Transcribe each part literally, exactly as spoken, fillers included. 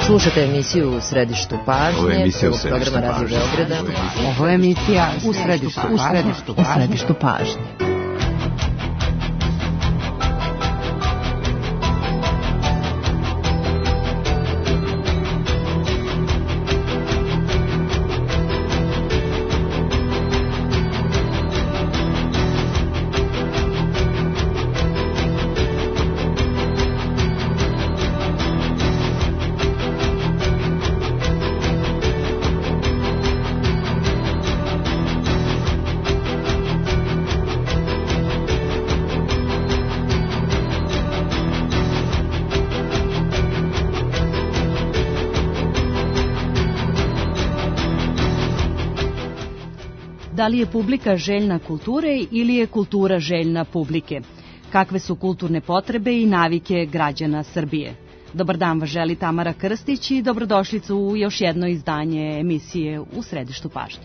Slušate emisiju U središtu pažnje. Ovo je emisija U središtu programa pažnje. Radio Beograda. Ovo je emisija U središtu, u središtu, u središtu pažnje. Da li je publika željna kulture ili je kultura željna publike? Kakve su kulturne potrebe i navike građana Srbije? Dobar dan vas želi Tamara Krstić i dobrodošlicu u još jedno izdanje emisije U središtu pažnje.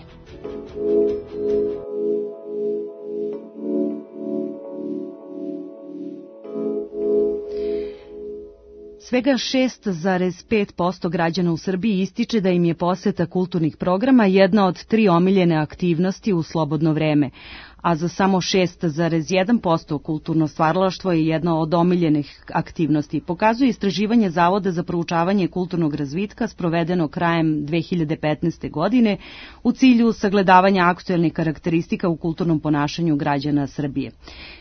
Svega šest zarez pet posto građana u Srbiji ističe da im je poseta kulturnih programa jedna od tri omiljene aktivnosti u slobodno vreme, a za samo šest zarez jedan posto kulturno stvaralaštvo je jedna od omiljenih aktivnosti. Pokazuje istraživanje Zavoda za proučavanje kulturnog razvitka sprovedeno krajem dve hiljade petnaeste. godine u cilju sagledavanja aktuelnih karakteristika u kulturnom ponašanju građana Srbije.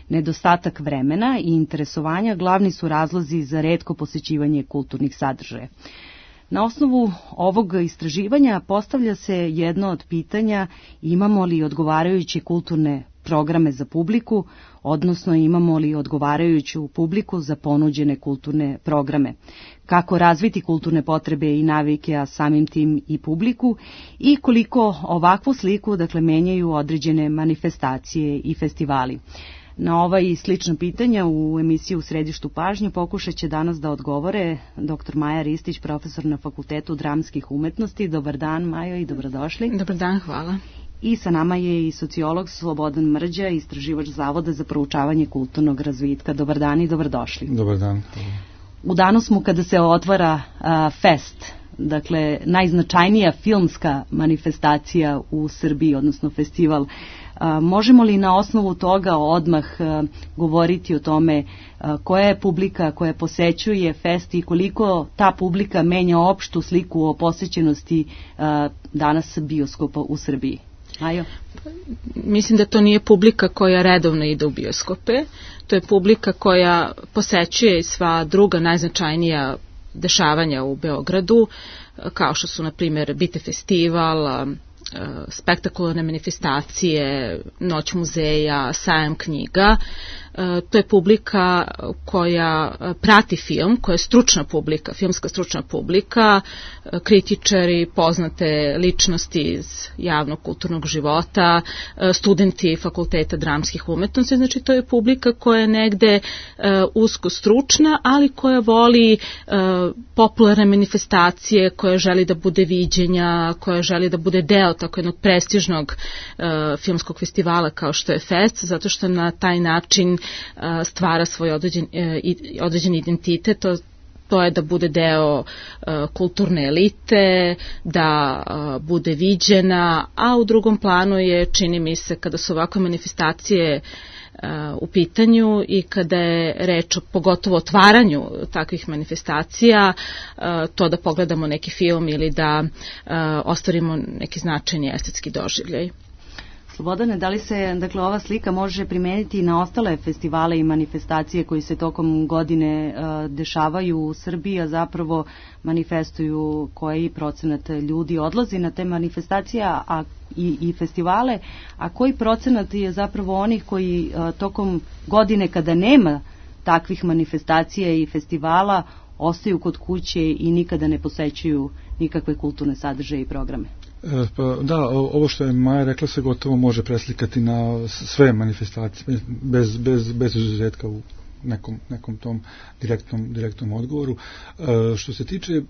Nedostatak vremena i interesovanja glavni su razlozi za retko posećivanje kulturnih sadržaja. Na osnovu ovog istraživanja postavlja se jedno od pitanja: imamo li odgovarajuće kulturne programe za publiku, odnosno imamo li odgovarajuću publiku za ponuđene kulturne programe? Kako razviti kulturne potrebe i navike, a samim tim i publiku, i koliko ovakvu sliku dakle menjaju određene manifestacije i festivali? Na ova i slična pitanja u emisiji U središtu pažnje pokušat će danas da odgovore doktor Maja Ristić, profesor na Fakultetu dramskih umetnosti. Dobar dan, Majo, i dobrodošli. Dobar dan, hvala. I sa nama je i sociolog Slobodan Mrđa, istraživač Zavoda za proučavanje kulturnog razvitka. Dobar dan i dobrodošli. Dobar dan. U danu smo kada se otvara a, fest, dakle najznačajnija filmska manifestacija u Srbiji, odnosno festival. A, možemo li na osnovu toga odmah a, govoriti o tome a, koja je publika koja posećuje fest i koliko ta publika menja opštu sliku o posećenosti a, danas bioskopa u Srbiji? Ajo. Mislim da to nije publika koja redovno ide u bioskope, to je publika koja posećuje sva druga najznačajnija dešavanja u Beogradu, kao što su, na primjer, Bite festival, spektakularne manifestacije, Noć muzeja, sajam knjiga. To je publika koja prati film, koja je stručna publika, filmska stručna publika, kritičari, poznate ličnosti iz javnog kulturnog života, studenti Fakulteta dramskih umetnosti. Znači, to je publika koja je negde usko stručna, ali koja voli popularne manifestacije, koja želi da bude viđenja, koja želi da bude deo tako jednog prestižnog filmskog festivala kao što je Fest, zato što na taj način stvara svoj određen, određen identitet. To, to je da bude deo uh, kulturne elite, da uh, bude viđena, a u drugom planu je, čini mi se, kada su ovakve manifestacije uh, u pitanju i kada je reč o pogotovo otvaranju takvih manifestacija, uh, to da pogledamo neki film ili da uh, ostvarimo neki značajni estetski doživljaj. Slobodane, da li se dakle ova slika može primeniti na ostale festivale i manifestacije koji se tokom godine uh, dešavaju u Srbiji, a zapravo manifestuju koji procenat ljudi odlazi na te manifestacije a, i, i festivale, a koji procenat je zapravo onih koji uh, tokom godine kada nema takvih manifestacija i festivala ostaju kod kuće i nikada ne posećuju nikakve kulturne sadržaje i programe? Pa, da, ovo što je Maja rekla se gotovo može preslikati na sve manifestacije, bez, bez, bez izuzetka u nekom, nekom tom direktnom, direktnom odgovoru. E, što se tiče e,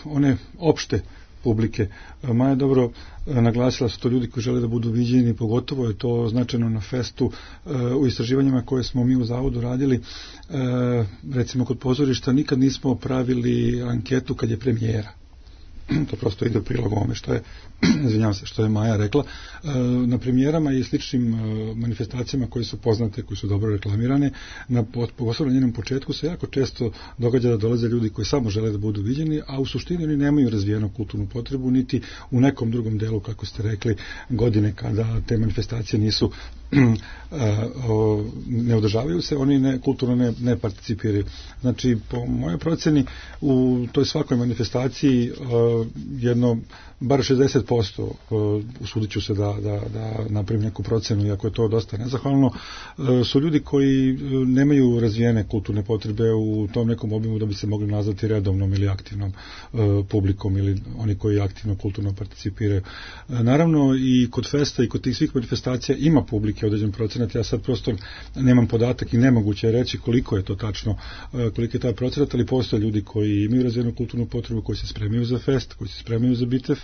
one opšte publike. Maja dobro naglasila su to ljudi koji žele da budu viđeni, pogotovo je to značajno na festu u istraživanjima koje smo mi u Zavodu radili. Recimo kod pozorišta nikad nismo pravili anketu kad je premijera. To prosto ide u prilog ovome što je, izvinjavam se, što je Maja rekla. Na premijerama i sličnim manifestacijama koje su poznate, koje su dobro reklamirane, na posebno njenom početku se jako često događa da dolaze ljudi koji samo žele da budu viđeni, a u suštini oni nemaju razvijenu kulturnu potrebu, niti u nekom drugom delu, kako ste rekli, godine kada te manifestacije nisu ne održavaju se, oni ne, kulturno ne, ne participiraju. Znači, po mojoj proceni, u toj svakoj manifestaciji jedno, bar šezdeset posto, usudit ću se da, da, da napravim neku procenu, iako je to dosta nezahvalno, su ljudi koji nemaju razvijene kulturne potrebe u tom nekom obimu da bi se mogli nazvati redovnom ili aktivnom publikom ili oni koji aktivno kulturno participiraju. Naravno, i kod festa i kod tih svih manifestacija ima publike određen procenat, ja sad prosto nemam podatak i nemoguće je reći koliko je to tačno, koliko je taj procenat, ali postoje ljudi koji imaju razvijenu kulturnu potrebu, koji se spremaju za fest, koji se spremaju za bitev,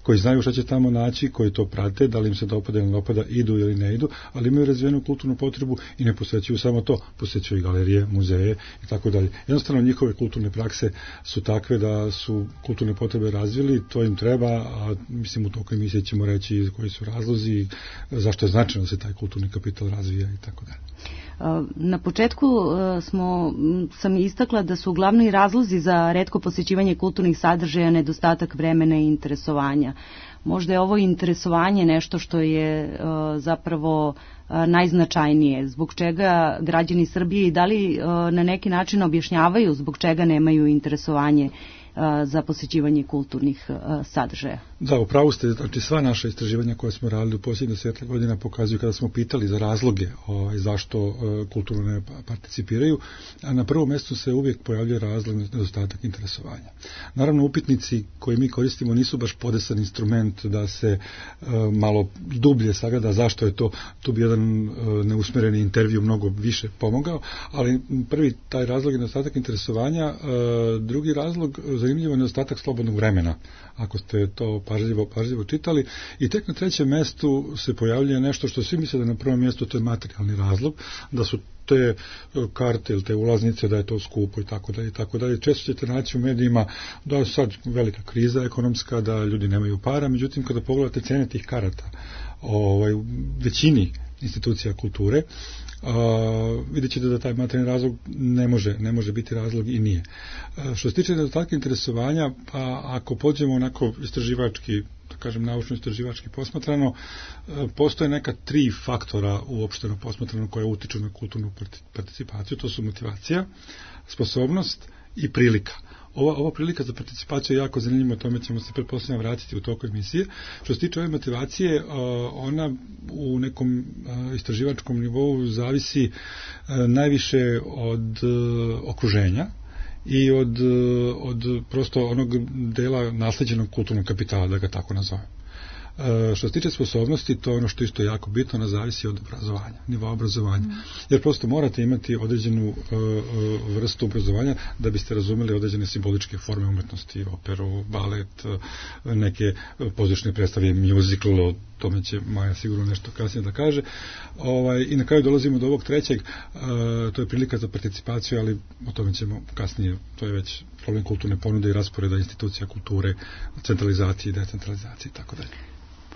koji znaju šta će tamo naći, koji to prate, da li im se dopada ili ne dopada, idu ili ne idu, ali imaju razvijenu kulturnu potrebu i ne posvećuju samo to, posvećuju i galerije, muzeje i tako dalje. Jednostavno njihove kulturne prakse su takve da su kulturne potrebe razvili, to im treba, a mislim u toku emisije ćemo reći koji su razlozi, zašto je značajno da se taj kulturni kapital razvija i tako dalje. Na početku smo, sam istakla da su glavni razlozi za retko posjećivanje kulturnih sadržaja nedostatak vremena i interesovanja. Možda je ovo interesovanje nešto što je zapravo najznačajnije, zbog čega građani Srbije i da li na neki način objašnjavaju zbog čega nemaju interesovanje za posjećivanje kulturnih sadržaja. Da, upravo ste, znači sva naša istraživanja koje smo radili u posljednjih desetak godina pokazuju kada smo pitali za razloge ovaj, zašto uh, kulturno ne participiraju, a na prvom mjestu se uvijek pojavljuje razlog nedostatak interesovanja. Naravno, upitnici koje mi koristimo nisu baš podesan instrument da se uh, malo dublje sagleda zašto je to, tu bi jedan uh, neusmereni intervju mnogo više pomogao, ali prvi taj razlog je nedostatak interesovanja, uh, drugi razlog zanimljivo je nedostatak slobodnog vremena, ako ste to pažljivo, pažljivo čitali, i tek na trećem mjestu se pojavljuje nešto što svi misle da na prvom mjestu to je materijalni razlog, da su te karte ili te ulaznice, da je to skupo i tako dalje i tako dalje. Često ćete naći u medijima da je sad velika kriza ekonomska, da ljudi nemaju para, međutim kada pogledate cene tih karata ovaj, u većini institucija kulture, Uh, vidjet ćete da taj materijalni razlog ne može, ne može biti razlog i nije. Uh, što se tiče nedostatka interesovanja, pa ako pođemo onako istraživački, da kažem naučno istraživački posmatrano, uh, postoje neka tri faktora uopšteno posmatrano koje utiču na kulturnu participaciju, to su motivacija, sposobnost i prilika. Ova, ova prilika za participaciju je jako zanimljiva, o tome ćemo se pretpostavljam vratiti u toku emisije. Što se tiče ove motivacije, ona u nekom istraživačkom nivou zavisi najviše od okruženja i od, od prosto onog dela nasleđenog kulturnog kapitala, da ga tako nazovem. Uh, što se tiče sposobnosti, to je ono što isto jako bitno, ona zavisi od obrazovanja, nivoa obrazovanja. Mm. Jer prosto morate imati određenu uh, uh, vrstu obrazovanja da biste razumeli određene simboličke forme umetnosti, operu, balet, uh, neke pozorišne predstave, musical, o tome će Maja sigurno nešto kasnije da kaže. Ovaj, I na kraju dolazimo do ovog trećeg, uh, to je prilika za participaciju, ali o tome ćemo kasnije, to je već problem kulturne ponude i rasporeda institucija kulture, centralizacije i decentralizacije i tako dalje.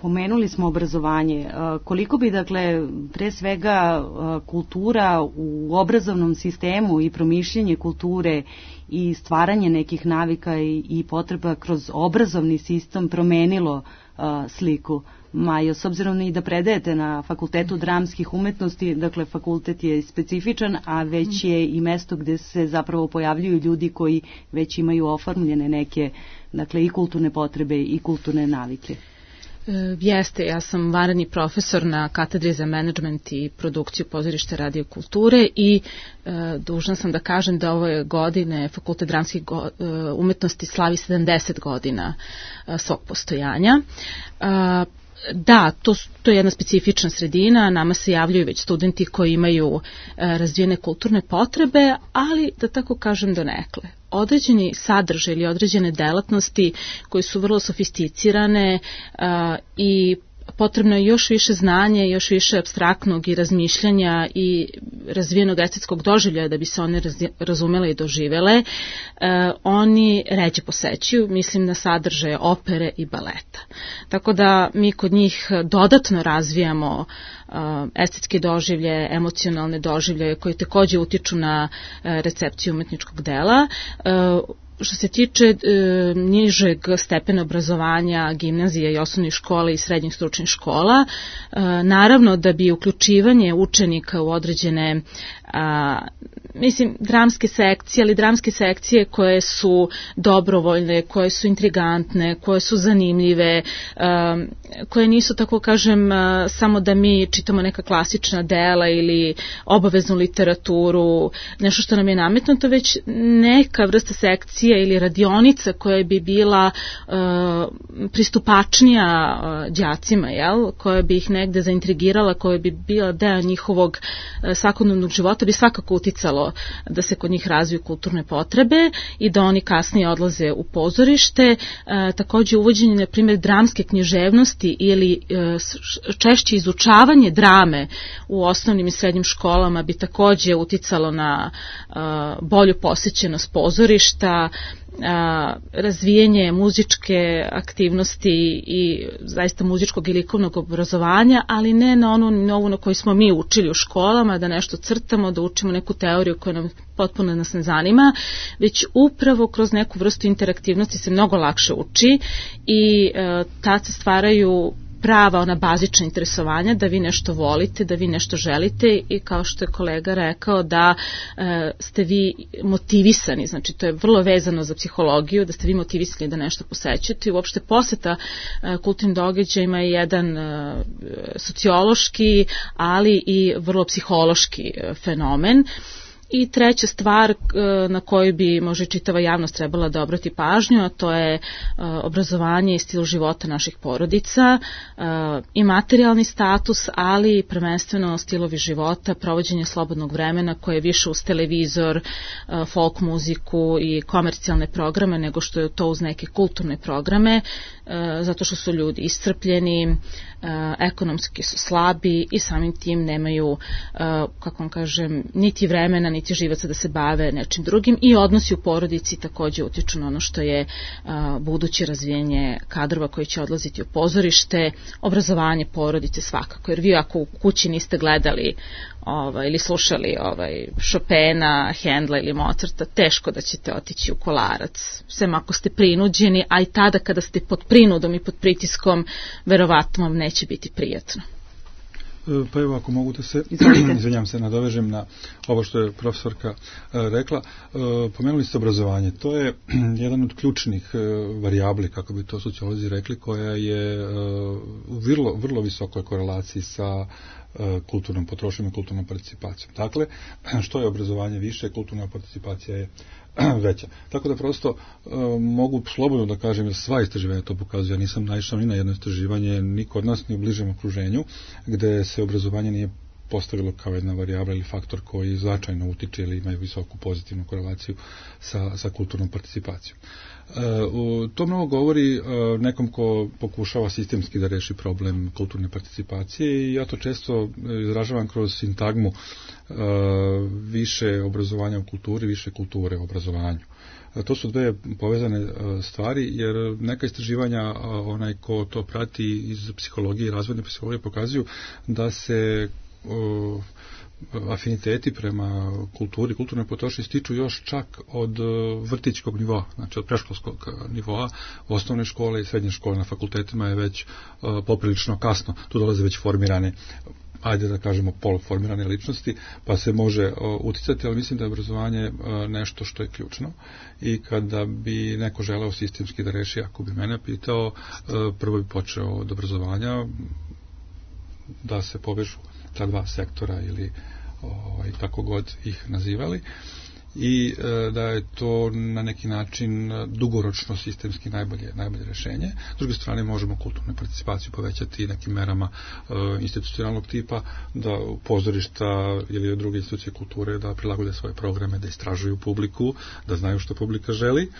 Pomenuli smo obrazovanje. Koliko bi, dakle, pre svega kultura u obrazovnom sistemu i promišljanje kulture i stvaranje nekih navika i, i potreba kroz obrazovni sistem promenilo a, sliku? Majo, s obzirom i da predajete na Fakultetu dramskih umetnosti, dakle fakultet je specifičan, a već je i mesto gde se zapravo pojavljuju ljudi koji već imaju oformljene neke, dakle, i kulturne potrebe i kulturne navike. Jeste, ja sam vanredni profesor na katedri za menadžment i produkciju pozorišta radio kulture i e, dužna sam da kažem da ove godine Fakultet dramskih go, e, umetnosti slavi sedamdeset godina e, svog postojanja. E, Da, to, to je jedna specifična sredina, nama se javljaju već studenti koji imaju e, razvijene kulturne potrebe, ali da tako kažem donekle. određeni sadržaj ili određene delatnosti koji su vrlo sofisticirane a, i potrebno je još više znanja, još više apstraktnog i razmišljanja i razvijenog estetskog doživljaja da bi se one razumele i doživele, e, oni ređe posećuju, mislim na sadržaje opere i baleta. Tako da mi kod njih dodatno razvijamo e, estetske doživlje, emocionalne doživlje koje takođe utiču na e, recepciju umetničkog dela. E, Što se tiče e, nižeg stepena obrazovanja, gimnazije i osnovnih škola i srednjih stručnih škola, e, naravno da bi uključivanje učenika u određene a, mislim, dramske sekcije, ali dramske sekcije koje su dobrovoljne, koje su intrigantne, koje su zanimljive, a, koje nisu, tako kažem, a, samo da mi čitamo neka klasična dela ili obaveznu literaturu, nešto što nam je nametnuto, već neka vrsta sekcije ili radionica koja bi bila a, pristupačnija a, đacima, jel? Koja bi ih negde zaintrigirala, koja bi bila deo njihovog a, svakodnevnog života, bi svakako uticalo da se kod njih razviju kulturne potrebe i da oni kasnije odlaze u pozorište. E, takođe uvođenje, na primjer, dramske književnosti ili e, češće izučavanje drame u osnovnim i srednjim školama bi takođe uticalo na e, bolju posjećenost pozorišta, a, razvijanje muzičke aktivnosti i zaista muzičkog i likovnog obrazovanja, ali ne na onu novu na koju smo mi učili u školama, da nešto crtamo, da učimo neku teoriju koja nam potpuno nas ne zanima, već upravo kroz neku vrstu interaktivnosti se mnogo lakše uči i e, tad se stvaraju prava ona bazična interesovanja, da vi nešto volite, da vi nešto želite i kao što je kolega rekao da e, ste vi motivisani, znači to je vrlo vezano za psihologiju, da ste vi motivisani da nešto posećujete i uopšte poseta e, kulturnim događajima je jedan e, sociološki, ali i vrlo psihološki e, fenomen. I treća stvar na koju bi možda čitava javnost trebala da obrati pažnju, a to je obrazovanje i stil života naših porodica i materijalni status, ali prvenstveno stilovi života, provođenje slobodnog vremena koje je više uz televizor, folk muziku i komercijalne programe nego što je to uz neke kulturne programe, zato što su ljudi iscrpljeni, ekonomski su slabi i samim tim nemaju, kako vam kažem, niti vremena, niti živaca da se bave nečim drugim i odnosi u porodici takođe utiču na ono što je buduće razvijenje kadrova koji će odlaziti u pozorište, obrazovanje porodice svakako, jer vi ako u kući niste gledali ovaj, ili slušali ovaj, Chopina, Hendla ili Mozarta, teško da ćete otići u Kolarac, sem ako ste prinuđeni, a i tada kada ste pod prinudom i pod pritiskom, verovatno vam neće biti prijatno. Pa evo, ako mogu da se, izvinjam se, nadovežem na ovo što je profesorka rekla. Pomenuli ste obrazovanje. To je jedan od ključnih varijabli, kako bi to sociolozi rekli, koja je u vrlo, vrlo visokoj korelaciji sa kulturnom potrošnjom i kulturnom participacijom. Dakle, što je obrazovanje više, kulturna participacija je veća. Tako da prosto e, mogu slobodno da kažem da sva istraživanja to pokazuju. Ja nisam naišao ni na jedno istraživanje, ni kod nas, ni u bližem okruženju, gde se obrazovanje nije postavilo kao jedna varijabla ili faktor koji značajno utiče ili imaju visoku pozitivnu korelaciju sa, sa kulturnom participacijom. E, u, to mnogo govori e, nekom ko pokušava sistemski da reši problem kulturne participacije i ja to često izražavam kroz sintagmu e, više obrazovanja u kulturi, više kulture u obrazovanju. E, to su dve povezane e, stvari, jer neka istraživanja, e, onaj ko to prati iz psihologije i razvojne psihologije pokazuju da se o, afiniteti prema kulturi, kulturnoj potrošnji stiču još čak od vrtićkog nivoa, znači od predškolskog nivoa, osnovne škole i srednje škole. Na fakultetima je već uh, poprilično kasno, tu dolaze već formirane, ajde da kažemo poluformirane ličnosti, pa se može uh, uticati, ali mislim da je obrazovanje uh, nešto što je ključno i kada bi neko želeo sistemski da reši, ako bi mene pitao, uh, prvo bi počeo od obrazovanja, da se povežu ta dva sektora ili ovaj, tako god ih nazivali i da je to na neki način dugoročno sistemski najbolje, najbolje rešenje. S druge strane, možemo kulturnu participaciju povećati nekim merama institucionalnog tipa, da pozorišta ili druge institucije kulture da prilagode svoje programe, da istražuju publiku, da znaju što publika želi,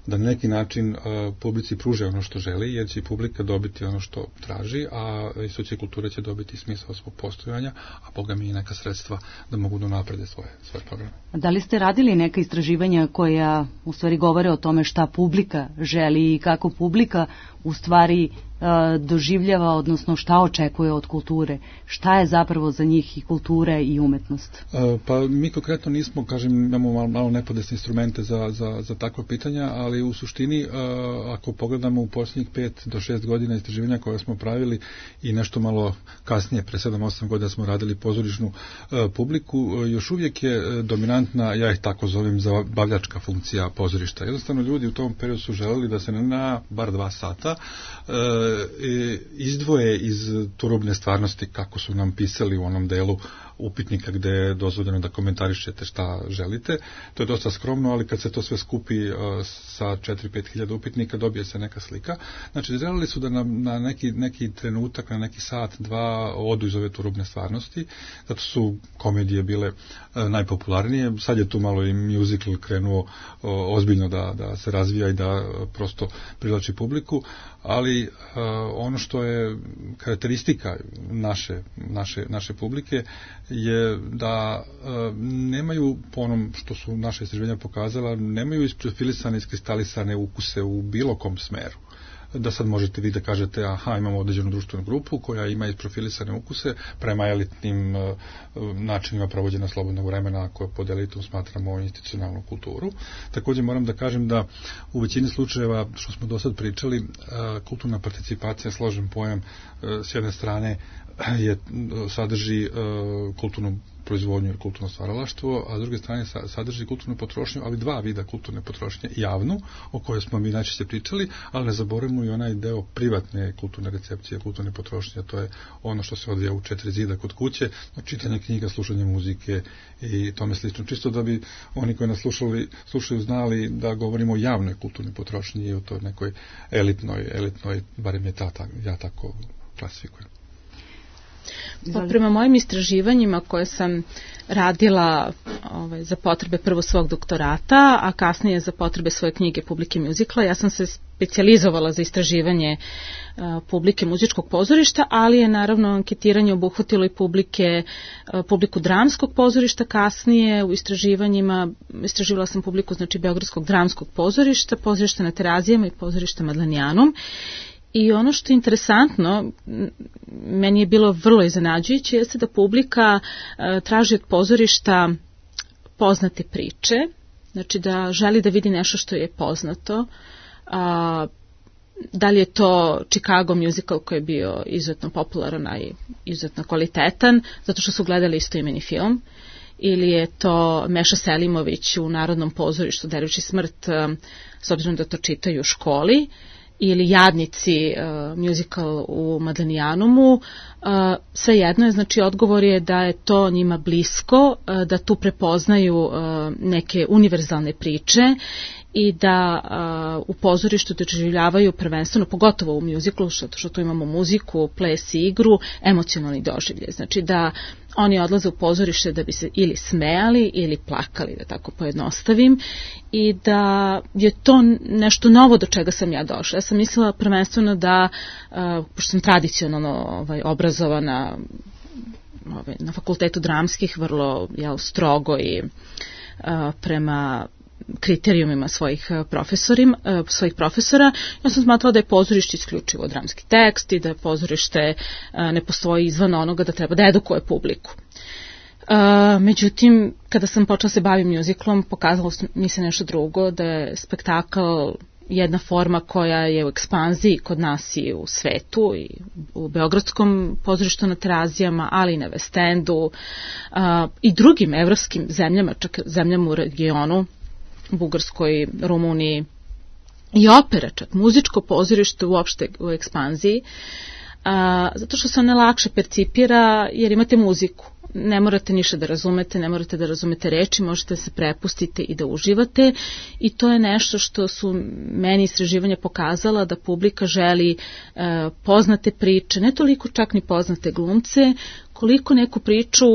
da na neki način publici pruže ono što želi, jer će publika dobiti ono što traži, a institucije kulture će dobiti smisao svog postojanja, a Boga mi i neka sredstva da mogu da naprede svoje, svoje programe. Da li ste radili neka istraživanja koja u stvari govore o tome šta publika želi i kako publika u stvari doživljava, odnosno šta očekuje od kulture? Šta je zapravo za njih i kultura i umetnost? Pa mi konkretno nismo, kažem, imamo malo, malo nepodesne instrumente za, za, za takva pitanja, ali u suštini, ako pogledamo u posljednjih pet do šest godina istraživanja koje smo pravili i nešto malo kasnije, pre sedam osam godina smo radili pozorišnu publiku, još uvijek je dominantna, ja ih tako zovem, zabavljačka funkcija pozorišta. Jednostavno ljudi u tom periodu su želeli da se na bar dva sata izdvoje iz turobne stvarnosti, kako su nam pisali u onom delu upitnika gde je dozvoljeno da komentarišete šta želite. To je dosta skromno, ali kad se to sve skupi uh, sa četiri do pet hiljada upitnika, dobije se neka slika. Znači, želeli su da na, na neki, neki trenutak, na neki sat, dva odu iz ove turobne stvarnosti, zato su komedije bile uh, najpopularnije. Sad je tu malo i musical krenuo uh, ozbiljno da, da se razvija i da uh, prosto privlači publiku, ali uh, ono što je karakteristika naše, naše, naše publike je da e, nemaju, po onom što su naše istraživanja pokazala, nemaju isprofilisane, iskristalisane ukuse u bilo kom smeru. Da sad možete vi da kažete, aha, imamo određenu društvenu grupu koja ima isprofilisane ukuse prema elitnim e, načinima provođenja slobodnog vremena koje pod elitom smatramo institucionalnu kulturu. Također moram da kažem da u većini slučajeva, što smo do sad pričali, e, kulturna participacija, složen pojam, e, s jedne strane je, sadrži e, kulturnu proizvodnju i kulturno stvaralaštvo, a s druge strane sadrži kulturnu potrošnju, ali dva vida kulturne potrošnje, javnu, o kojoj smo mi najčešće pričali, ali ne zaboravimo i onaj deo privatne kulturne recepcije, kulturne potrošnje, to je ono što se odvija u četiri zida kod kuće, čitanje knjiga, slušanje muzike i tome slično. Čisto da bi oni koji nas slušali, slušaju znali da govorimo o javnoj kulturnoj potrošnji i o toj nekoj elitnoj, elitnoj, barem je ta, ta, ja tako klasifikujem. Pa prema mojim istraživanjima koje sam radila ovaj, za potrebe prvo svog doktorata, a kasnije za potrebe svoje knjige Publike muzikla, ja sam se specijalizovala za istraživanje uh, publike muzičkog pozorišta, ali je naravno anketiranje obuhvatilo i publike, uh, publiku dramskog pozorišta. Kasnije u istraživanjima istraživala sam publiku, znači, Beogradskog dramskog pozorišta, pozorišta na Terazijama i pozorišta Madlenijanum. I ono što je interesantno, meni je bilo vrlo iznenađujuće, jeste da publika e, traži od pozorišta poznate priče, znači da želi da vidi nešto što je poznato. A, da li je to Chicago musical koji je bio izuzetno popularan i izuzetno kvalitetan, zato što su gledali istoimeni film, ili je to Meša Selimović u Narodnom pozorištu Delići smrt, s obzirom da to čitaju u školi, ili Jadnici, uh, musical u Madlenijanumu, uh, sve jedno je, znači odgovor je da je to njima blisko, uh, da tu prepoznaju uh, neke univerzalne priče i da uh, u pozorištu doživljavaju prvenstveno, pogotovo u muziklu, što, što tu imamo muziku, ples i igru, emocionalni doživljaj. Znači da oni odlaze u pozorište da bi se ili smejali ili plakali, da tako pojednostavim, i da je to nešto novo do čega sam ja došla. Ja sam mislila prvenstveno da, uh, pošto sam tradicionalno ovaj, obrazovana ovaj, na fakultetu dramskih, vrlo jel, strogo i uh, prema kriterijumima svojih profesorima, svojih profesora, ja sam smatrala da je pozorište isključivo dramski tekst i da je pozorište ne postoji izvan onoga da treba da edukuje publiku. Međutim, kada sam počela se bavim muziklom, pokazalo mi se nešto drugo, da je spektakl jedna forma koja je u ekspanziji kod nas i u svetu, i u Beogradskom pozorištu na Terazijama, ali i na West Endu i drugim evropskim zemljama, čak zemljama u regionu, Bugarskoj, Rumuniji, i opera, čak muzičko pozorište uopšte u ekspanziji, a, zato što se ona lakše percipira jer imate muziku. ne morate ništa da razumete, ne morate da razumete reči, možete da se prepustite i da uživate i to je nešto što su meni istraživanja pokazala da publika želi e, poznate priče, ne toliko čak ni poznate glumce, koliko neku priču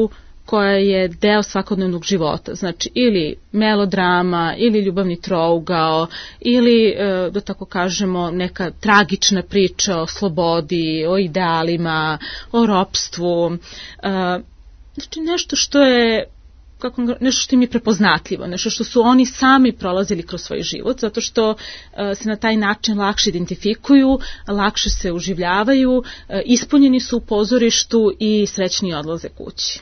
koja je deo svakodnevnog života, znači ili melodrama, ili ljubavni trougao, ili, e, da tako kažemo, neka tragična priča o slobodi, o idealima, o ropstvu, e, znači nešto što je kako, nešto što im je prepoznatljivo, nešto što su oni sami prolazili kroz svoj život, zato što uh, se na taj način lakše identifikuju, lakše se uživljavaju, uh, ispunjeni su u pozorištu i srećni odlaze kući.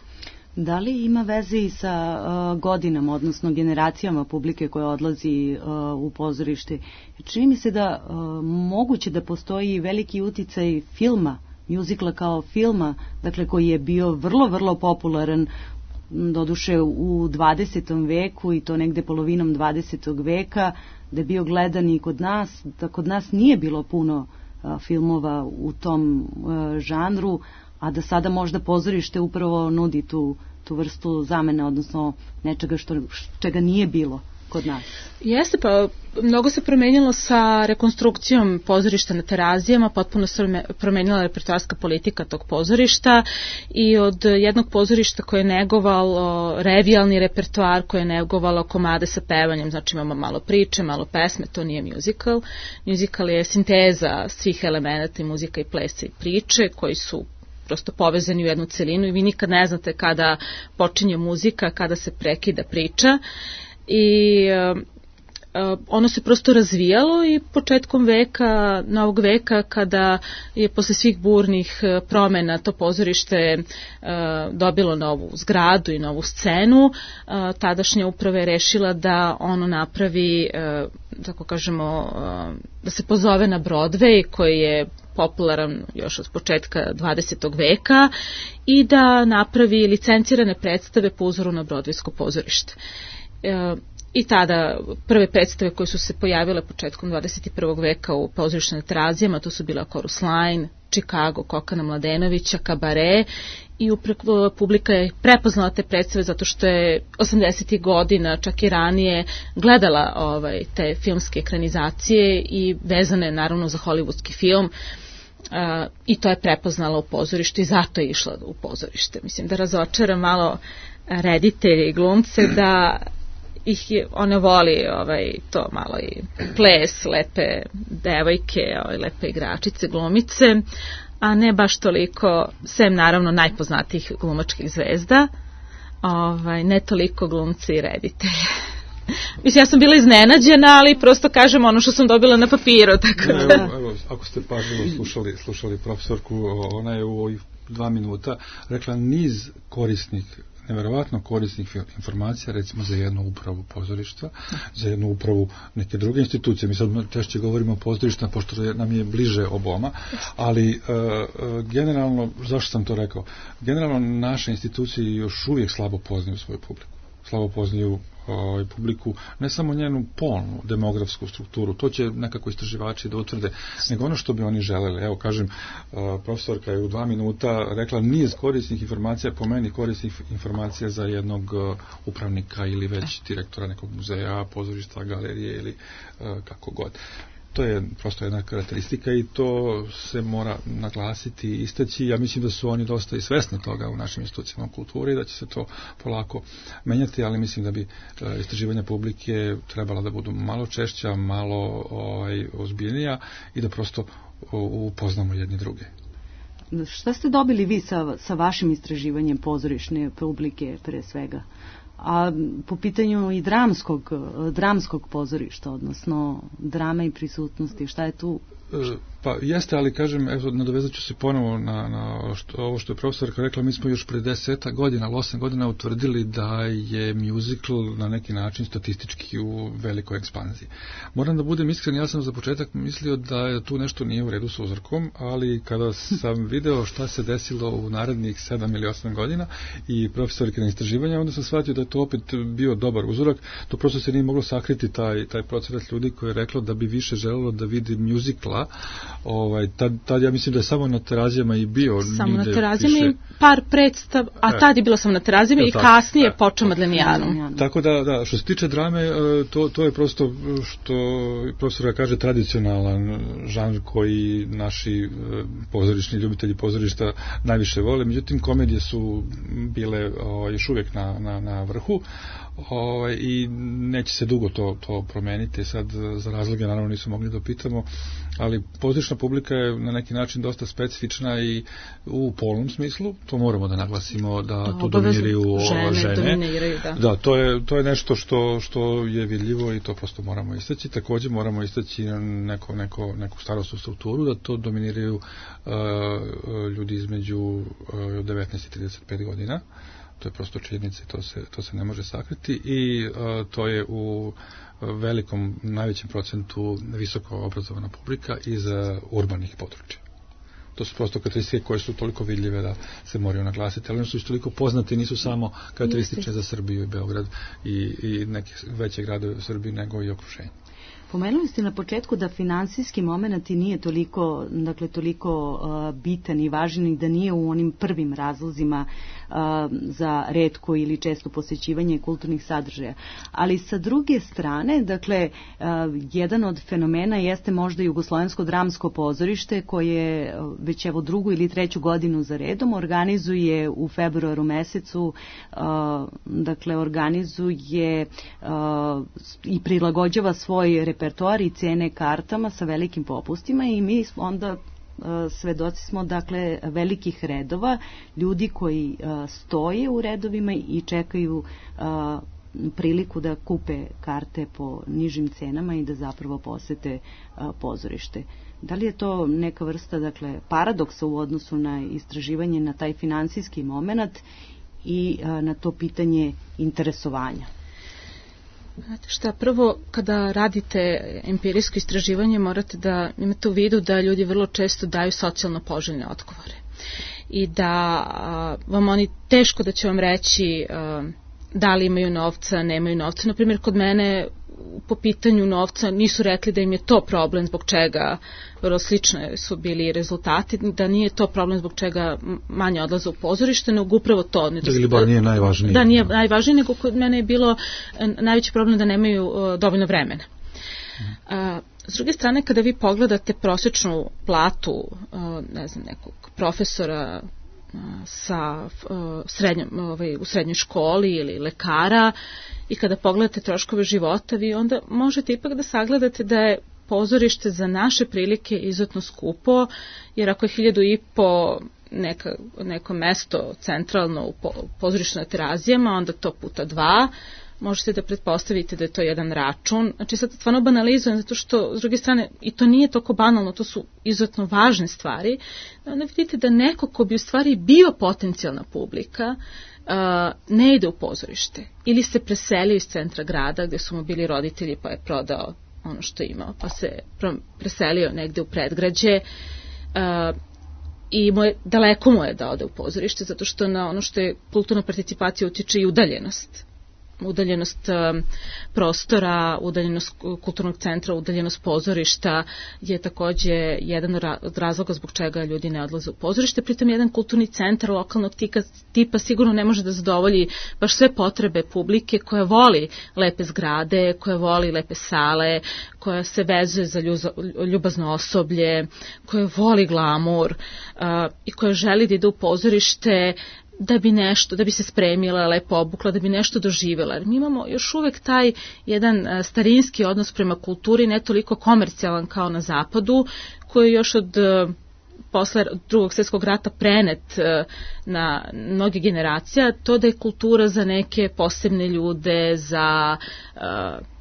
Da li ima veze i sa uh, godinama, odnosno generacijama publike koja odlazi uh, u pozorište? Čini mi se da uh, moguće da postoji veliki uticaj filma, mjuzikla kao filma, dakle koji je bio vrlo, vrlo popularan doduše u dvadesetom veku i to negde polovinom dvadesetog veka, da je bio gledan i kod nas, da kod nas nije bilo puno a, filmova u tom a, žanru, a da sada možda pozorište upravo nudi tu, tu vrstu zamena, odnosno nečega što, čega nije bilo kod nas. Jeste, pa mnogo se promenilo sa rekonstrukcijom pozorišta na Terazijama, potpuno se promenila repertoarska politika tog pozorišta i od jednog pozorišta koje je negovalo revijalni repertoar, koje je negovalo komade sa pevanjem, znači imamo malo priče, malo pesme, to nije musical. Musical je sinteza svih elemenata i muzika i plesa i priče koji su prosto povezani u jednu celinu i vi nikad ne znate kada počinje muzika, kada se prekida priča. I uh, ono se prosto razvijalo i početkom veka, novog veka, kada je posle svih burnih promena to pozorište uh, dobilo novu zgradu i novu scenu, uh, tadašnja uprava je rešila da ono napravi, uh, tako kažemo, uh, da se pozove na Broadway, koji je popularan još od početka dvadesetog veka i da napravi licencirane predstave po uzoru na Broadwaysko pozorište. E, i tada prve predstave koje su se pojavile početkom dvadeset prvog veka u pozorištu na Terazijama, to su bila Chorus Line, Chicago, Kokana Mladenovića, Kabare i upravo publika je prepoznala te predstave zato što je osamdesetih godina, čak i ranije, gledala ovaj, te filmske ekranizacije i vezane naravno za hollywoodski film. Uh, i to je prepoznala u pozorištu i zato je išla u pozorište. Mislim da razočara malo reditelje i glumce da ih je, ona voli ovaj, to malo i ples, lepe devojke, ovaj, lepe igračice, glumice, a ne baš toliko, sem naravno najpoznatijih glumačkih zvezda, ovaj, ne toliko glumci i reditelje. Mislim, ja sam bila iznenađena, ali prosto kažem ono što sam dobila na papiru. Tako da. Evo, evo, ako ste pažljivo slušali, slušali profesorku, ona je u ovih dva minuta rekla niz korisnih, neverovatno korisnih informacija, recimo za jednu upravu pozorišta, za jednu upravu neke druge institucije. Mi sad češće govorimo o pozorištima, pošto nam je bliže oboma, ali uh, generalno, zašto sam to rekao? Generalno naše institucije još uvijek slabo poznaju svoju publiku. Slabo poznaju ovaj, publiku, ne samo njenu polnu demografsku strukturu, to će nekako istraživači da utvrde, nego ono što bi oni želeli. Evo, kažem, profesorka je u dva minuta rekla niz korisnih informacija, po meni korisnih informacija za jednog upravnika ili već direktora nekog muzeja, pozorišta, galerije ili kako god. To je prosto jedna karakteristika i to se mora naglasiti i istaći. Ja mislim da su oni dosta i svesni toga u našim institucijama kulture i da će se to polako menjati, ali mislim da bi istraživanja publike trebala da budu malo češća, malo ovaj, ozbiljnija i da prosto upoznamo jedni druge. Šta ste dobili vi sa, sa vašim istraživanjem pozorišne publike pre svega? A po pitanju i dramskog, dramskog pozorišta, odnosno drame i prisutnosti, šta je tu? Pa jeste, ali kažem, evo, nadovezat ću se ponovo na, na što, ovo što je profesorka rekla, mi smo još pre deseta godina, osam godina utvrdili da je musical na neki način statistički u velikoj ekspanziji. Moram da budem iskren, ja sam za početak mislio da tu nešto nije u redu sa uzorkom, ali kada sam video šta se desilo u narednih sedam ili osam godina i profesorke na istraživanja, onda sam shvatio da je to opet bio dobar uzorak, to prosto se nije moglo sakriti taj, taj procenat ljudi koji je reklo da bi više želelo da vidi musicala ovaj, tad, tad ja mislim da je samo na Terazijama i bio. Samo na Terazijama i par predstav, a tad je bilo samo na Terazijama i kasnije je počeo Madlenijanom. Tako da, da, što se tiče drame, to, to je prosto što profesor kaže tradicionalan žanr koji naši pozorišni ljubitelji pozorišta najviše vole, međutim komedije su bile o, još uvijek na, na, na vrhu o, i neće se dugo to, to promeniti, sad za razloge naravno nisu mogli da pitamo, ali pozorišna publika je na neki način dosta specifična i u polnom smislu, to moramo da naglasimo da to dominiraju žene. žene. Dominiraju, da. Da, to je, to je nešto što, što je vidljivo i to prosto moramo istaći. Također moramo istaći neko, neko, neku starostnu strukturu, da to dominiraju uh, ljudi između uh, devetnaest i trideset pet godina. To je prosto činjenica i to se, to se ne može sakriti i uh, to je u velikom, najvećem procentu visoko obrazovana publika iz uh, urbanih područja. To su prosto karakteristike koje su toliko vidljive da se moraju naglasiti, ali one su toliko poznati, nisu samo karakteristične za Srbiju i Beograd i, i neke veće gradove u Srbiji, nego i okruženje. Pomenuli ste na početku da finansijski moment i nije toliko, dakle, toliko uh, bitan i važan i da nije u onim prvim razlozima uh, za retko ili često posjećivanje kulturnih sadržaja. Ali sa druge strane, dakle, uh, jedan od fenomena jeste možda Jugoslovensko dramsko pozorište koje već evo drugu ili treću godinu za redom organizuje u februaru mesecu, uh, dakle, organizuje uh, i prilagođava svoj repertoar i cene kartama sa velikim popustima i mi onda uh, svedoci smo, dakle, velikih redova, ljudi koji uh, stoje u redovima i čekaju uh, priliku da kupe karte po nižim cenama i da zapravo posete uh, pozorište. Da li je to neka vrsta, dakle, paradoksa u odnosu na istraživanje na taj finansijski moment i uh, na to pitanje interesovanja? Znate šta, prvo kada radite empirijsko istraživanje morate da imate u vidu da ljudi vrlo često daju socijalno poželjne odgovore i da a, vam oni teško da će vam reći a, da li imaju novca, nemaju novca. Naprimjer, kod mene po pitanju novca nisu rekli da im je to problem zbog čega, vrlo slične su bili rezultati, da nije to problem zbog čega manje odlaze u pozorište, nego upravo to. Da ili bar nije najvažnije. Da, nije najvažnije, nego kod mene je bilo najveći problem da nemaju uh, dovoljno vremena. Uh, s druge strane, kada vi pogledate prosječnu platu, uh, ne znam, nekog profesora uh, sa uh, srednjom, ovaj, u srednjoj školi ili lekara, i kada pogledate troškove života, vi onda možete ipak da sagledate da je pozorište za naše prilike izuzetno skupo, jer ako je hiljadu i po neka, neko mesto centralno u pozorištu na Terazijama, onda to puta dva, možete da pretpostavite da je to jedan račun. Znači sad stvarno banalizujem, zato što s druge strane i to nije toliko banalno, to su izuzetno važne stvari. Onda vidite da neko ko bi u stvari bio potencijalna publika, Uh, ne ide u pozorište ili se preselio iz centra grada gdje su mu bili roditelji pa je prodao ono što je imao pa se preselio negdje u predgrađe uh, i mu je, daleko mu je da ode u pozorište zato što na ono što je kulturna participacija utječe i udaljenost udaljenost um, prostora, udaljenost kulturnog centra, udaljenost pozorišta je takođe jedan od razloga zbog čega ljudi ne odlaze u pozorište. Pritom jedan kulturni centar lokalnog tika, tipa sigurno ne može da zadovolji baš sve potrebe publike koja voli lepe zgrade, koja voli lepe sale, koja se vezuje za ljubazno osoblje, koja voli glamur uh, i koja želi da ide u pozorište da bi nešto, da bi se spremila, lepo obukla, da bi nešto doživjela. Jer mi imamo još uvek taj jedan starinski odnos prema kulturi, ne toliko komercijalan kao na zapadu, koji je još od posle drugog svjetskog rata prenet na mnoge generacija, to da je kultura za neke posebne ljude, za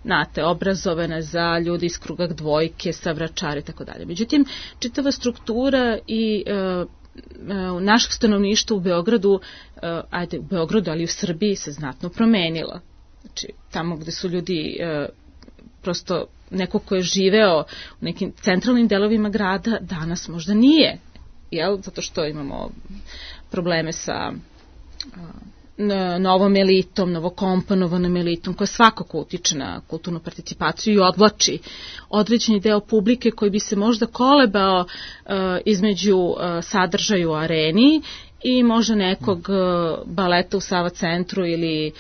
znate, obrazovane, za ljudi iz kruga dvojke, savračari i tako dalje. Međutim, čitava struktura i našeg stanovništva u Beogradu, ajde u Beogradu, ali i u Srbiji se znatno promenila. Znači, tamo gde su ljudi prosto neko ko je živeo u nekim centralnim delovima grada, danas možda nije, jel? Zato što imamo probleme sa novom elitom, novokomponovanom elitom, koja svakako utiče na kulturnu participaciju i odvlači određeni deo publike koji bi se možda kolebao uh, između uh, sadržaja u areni i možda nekog uh, baleta u Sava centru ili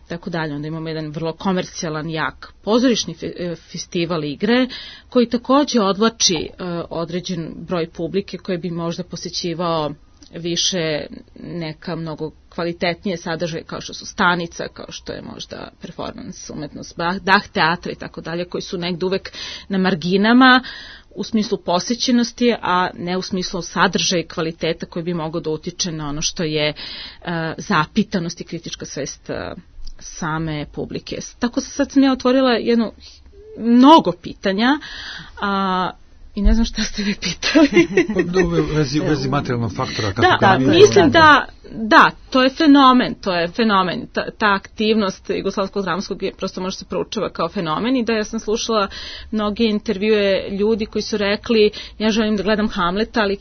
tako dalje. Onda imamo jedan vrlo komercijalan, jak pozorišni fe, festival igre koji takođe odvlači uh, određen broj publike koje bi možda posećivao više neka mnogo kvalitetnije sadržaje kao što su stanica, kao što je možda performans, umetnost, dah teatra i tako dalje, koji su negde uvek na marginama u smislu posjećenosti, a ne u smislu sadržaja i kvaliteta koji bi mogao da utiče na ono što je uh, zapitanost i kritička svest uh, same publike. Tako sad sam ja otvorila jedno mnogo pitanja, a i ne znam šta ste vi pitali. U vezi, vezi materijalnog faktora. Kako da, da, mislim da, da, to je fenomen, to je fenomen. Ta, ta aktivnost Jugoslavskog dramskog prosto može se proučava kao fenomen i da ja sam slušala mnoge intervjue ljudi koji su rekli ja želim da gledam Hamleta, ali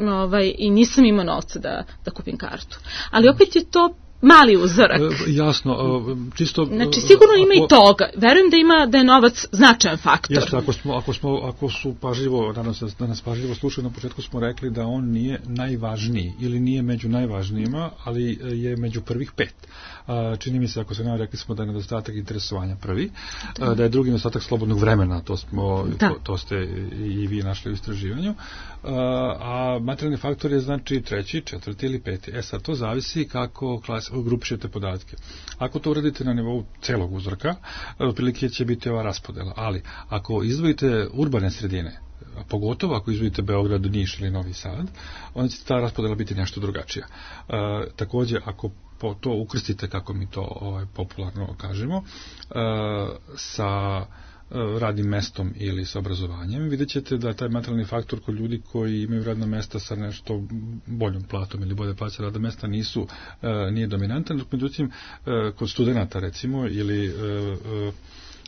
ovaj, i nisam imao novca da, da kupim kartu. Ali opet je to mali uzorak. Jasno, čisto... Znači, sigurno ima ako, i toga. Verujem da ima, da je novac značajan faktor. Jeste, ako, smo, ako, smo, ako su pažljivo, da nas, da nas pažljivo slušaju, na početku smo rekli da on nije najvažniji ili nije među najvažnijima, ali je među prvih pet. Čini mi se, ako se ne rekli smo da je nedostatak interesovanja prvi, da, da je drugi nedostatak slobodnog vremena, to, smo, to, to ste i vi našli u istraživanju, a materijalni faktor je znači treći, četvrti ili peti. E sad, to zavisi kako klas, grupišete podatke. Ako to uradite na nivou celog uzorka, otprilike će biti ova raspodela, ali ako izdvojite urbane sredine, pogotovo ako izvodite Beograd, Niš ili Novi Sad, onda će ta raspodela biti nešto drugačija. E, takođe, ako po to ukrstite, kako mi to ovaj, popularno kažemo, e, sa radnim mestom ili sa obrazovanjem, vidjet ćete da je taj materijalni faktor kod ljudi koji imaju radna mesta sa nešto boljom platom ili bolje plaće radna mesta nisu, nije dominantan, dok međutim kod studenata recimo ili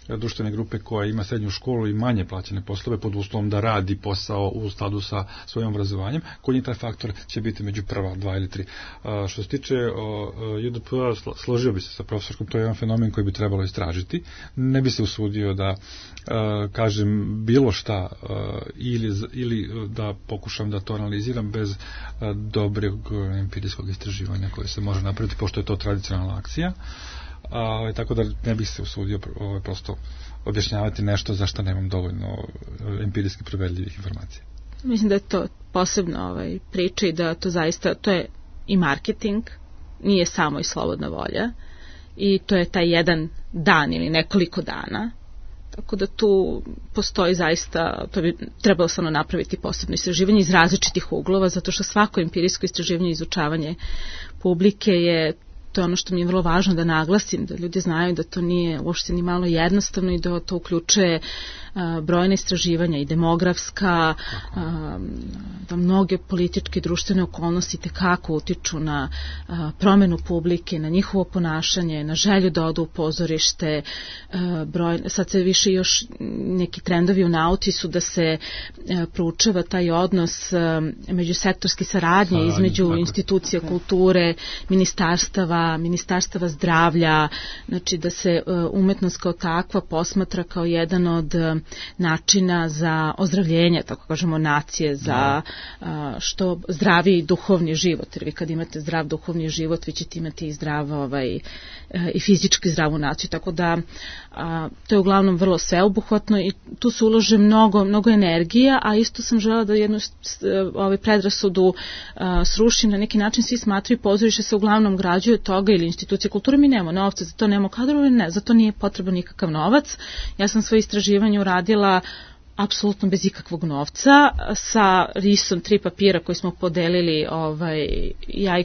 društvene grupe koja ima srednju školu i manje plaćene poslove pod uslovom da radi posao u skladu sa svojim obrazovanjem, kod njih taj faktor će biti među prva, dva ili tri. A, što se tiče J D P-a, složio bi se sa profesorskom, to je jedan fenomen koji bi trebalo istražiti. Ne bi se usudio da a, kažem bilo šta a, ili, ili da pokušam da to analiziram bez a, dobrog empirijskog istraživanja koje se može napraviti, pošto je to tradicionalna akcija. A, tako da ne bih se usudio ovaj, prosto objašnjavati nešto za što nemam dovoljno empirijski proverljivih informacija. Mislim da je to posebno ovaj, priča i da to zaista, to je i marketing, nije samo i slobodna volja i to je taj jedan dan ili nekoliko dana, tako da tu postoji zaista, to bi trebalo samo napraviti posebno istraživanje iz različitih uglova, zato što svako empirijsko istraživanje i izučavanje publike je to je ono što mi je vrlo važno da naglasim, da ljudi znaju da to nije uopšte ni malo jednostavno i da to uključuje uh, brojne istraživanja i demografska, uh, da mnoge političke i društvene okolnosti tekako utiču na uh, promenu publike, na njihovo ponašanje, na želju da odu u pozorište. Uh, broj, sad se više još neki trendovi u nauci su da se uh, proučava taj odnos uh, međusektorske saradnje Saradnje, između tako. institucija kulture, ministarstava, ministarstava zdravlja, znači da se umetnost kao takva posmatra kao jedan od načina za ozdravljenje, tako kažemo, nacije, za što zdraviji duhovni život, jer vi kad imate zdrav duhovni život, vi ćete imati i zdrav ovaj, i fizički zdravu naciju, tako da a, to je uglavnom vrlo sveobuhvatno i tu se ulože mnogo, mnogo energija, a isto sam želela da jednu ovaj, predrasudu a, srušim, na neki način svi smatraju pozorište se uglavnom građuje toga ili institucije kulture, mi nemamo novca, za to nemamo kadrove, ne, za to nije potreban nikakav novac. Ja sam svoje istraživanje uradila apsolutno bez ikakvog novca, sa risom tri papira koji smo podelili, ovaj, ja i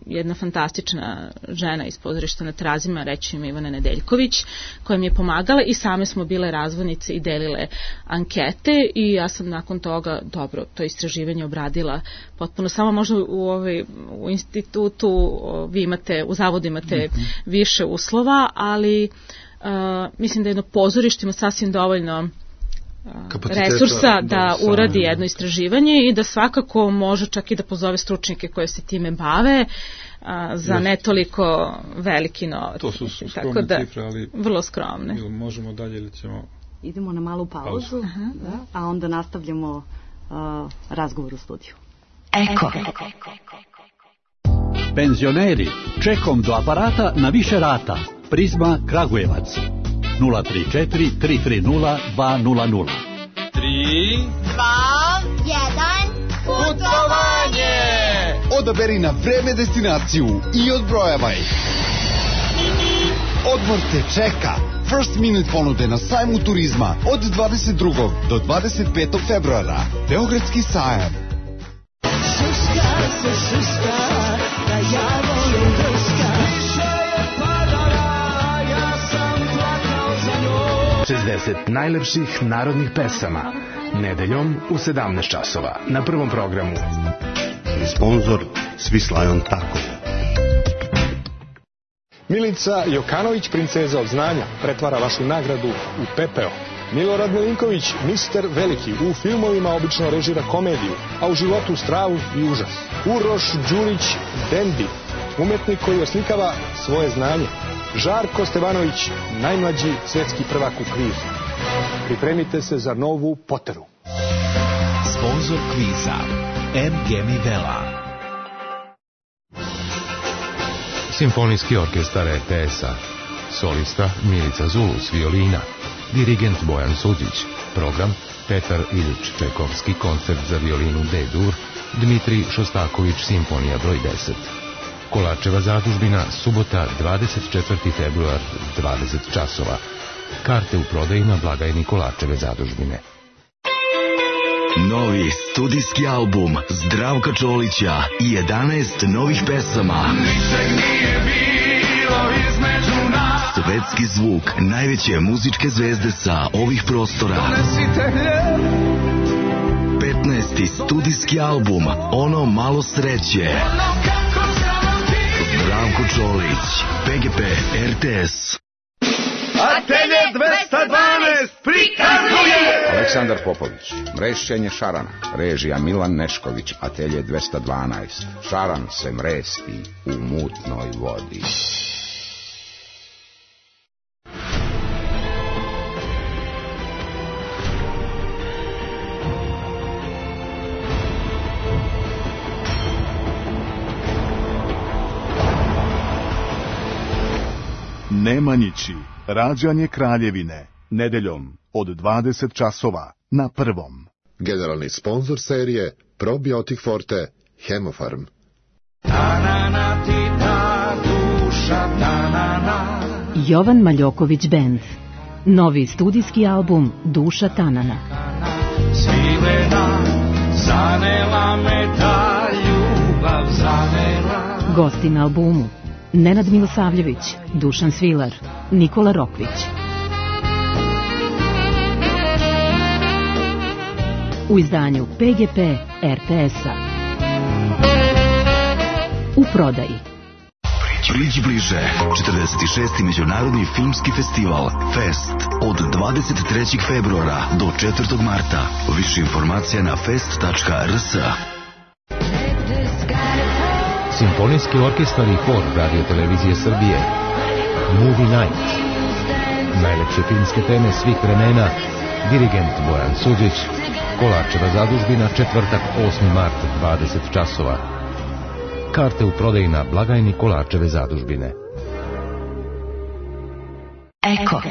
jedna fantastična žena iz pozorišta na Terazima, reći ima Ivana Nedeljković, koja mi je pomagala i same smo bile razvojnice i delile ankete i ja sam nakon toga, dobro, to istraživanje obradila potpuno, samo možda u, ovaj, u institutu vi imate, u zavodu imate mm-hmm. više uslova, ali uh, mislim da jedno pozorište ima sasvim dovoljno resursa da uradi jedno istraživanje i da svakako može čak i da pozove stručnjake koje se time bave a, za ne toliko veliki novac. To su skromne da, cifre, ali vrlo skromne. Možemo dalje ili ćemo... Idemo na malu pauzu, da, a onda nastavljamo uh, razgovor u studiju. Eko. Penzioneri, čekom do aparata na više rata. Prizma Kragujevac. nula tri četiri tri tri nula dva nula nula. tri, dva, jedan, putovanje! Odaberi na vreme destinaciju i odbrojavaj. Odmor te čeka. First Minute ponude na sajmu turizma od dvadeset drugog do dvadeset petog februara. Beogradski sajam. Šuška se šuška, da ja volim drška. Više je padala, ja sam plakao za njom. šezdeset najlepših narodnih pesama. Nedeljom u sedamnaest časova na Prvom programu. Sponzor Swiss Tako. Milica Jokanović, princeza od znanja, pretvara vašu nagradu u pepeo. Milorad Milinković, mister Veliki, u filmovima obično režira komediju, a u životu stravu i užas. Uroš Đurić, Dendi, umetnik koji oslikava svoje znanje. Žarko Stevanović, najmlađi svetski prvak u kvizu. Pripremite se za novu Poteru. Sponzor kviza M G Mivela. Simfonijski orkestar R T S-a. Solista Milica Zulus, violina. Dirigent Bojan Suđić. Program Petar Ilić Čajkovski, koncert za violinu D-dur. Dmitrij Šostaković, simfonija broj deset. Kolačeva zadužbina, subota dvadeset četvrti februar, dvadeset časova. Karte u prodaju na blagajni Kolačeve zadužbine. Novi studijski album Zdravka Čolića i jedanaest novih pesama. Ničeg nije bilo između nas. Svetski zvuk najveće muzičke zvezde sa ovih prostora. Donesite hljeb. petnaesti studijski album Ono malo sreće. Ono kako Zdravko Čolić, P G P, R T S. Atelje dvesta dvanaest prikazuje Aleksandar Popović, mrešćenje šarana, režija Milan Nešković, Atelje dvesta dvanaest. Šaran se mresti u mutnoj vodi. Nemanjići, rađanje Kraljevine, nedeljom od dvadeset časova na Prvom. Generalni sponzor serije Probiotik Forte, Hemofarm. Tanana ti ta duša, tanana. Jovan Maljoković Band. Novi studijski album Duša Tanana. Svilena, zanela me ta ljubav, zanela. Gosti na albumu Nenad Milosavljević, Dušan Svilar, Nikola Rokvić. U izdanju P G P R T S-a. U prodaji. Priđi bliže, četrdeset šesti Međunarodni filmski festival Fest od dvadeset trećeg februara do četvrtog marta. Više informacija na fest tačka r s. Simfonijski orkestar i hor Radio Televizije Srbije. Movie Night. Najlepše filmske teme svih vremena. Dirigent Bojan Suđić. Kolačeva zadužbina, četvrtak osmi mart, dvadeset časova. Karte u prodaji na blagajni Kolačeve zadužbine. Eko.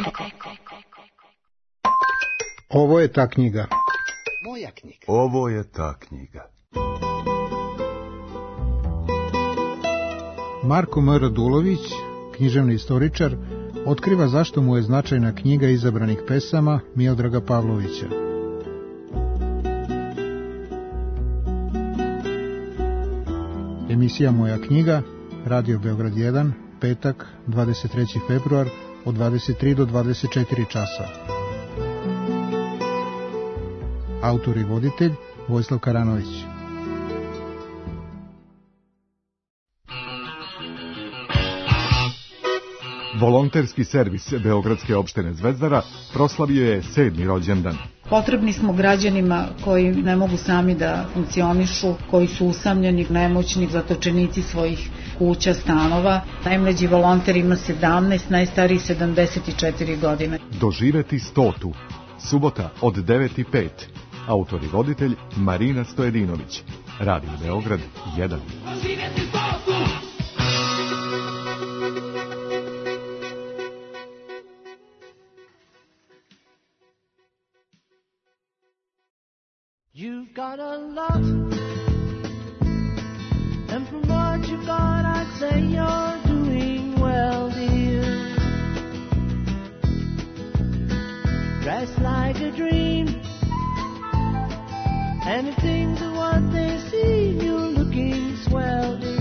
Ovo je ta knjiga. Moja knjiga. Ovo je ta knjiga. Marko M. Radulović, književni istoričar, otkriva zašto mu je značajna knjiga izabranih pesama Miodraga Pavlovića. Emisija Moja knjiga, Radio Beograd jedan, petak, dvadeset treći februar, od dvadeset tri do dvadeset četiri časa. Autor i voditelj Vojislav Karanović. Volonterski servis Beogradske opštine Zvezdara proslavio je sedmi rođendan. Potrebni smo građanima koji ne mogu sami da funkcionišu, koji su usamljeni, nemoćni, zatočenici svojih kuća, stanova. Najmlađi volonter ima sedamnaest, najstariji sedamdeset četiri godine. Doživeti stotu. Subota od devet i pet. Autor i voditelj Marina Stojedinović. Radio Beograd jedan. You've got a lot, and from what you've got, I'd say you're doing well, dear. Dressed like a dream, and if things are what they seem, you're looking swell, dear.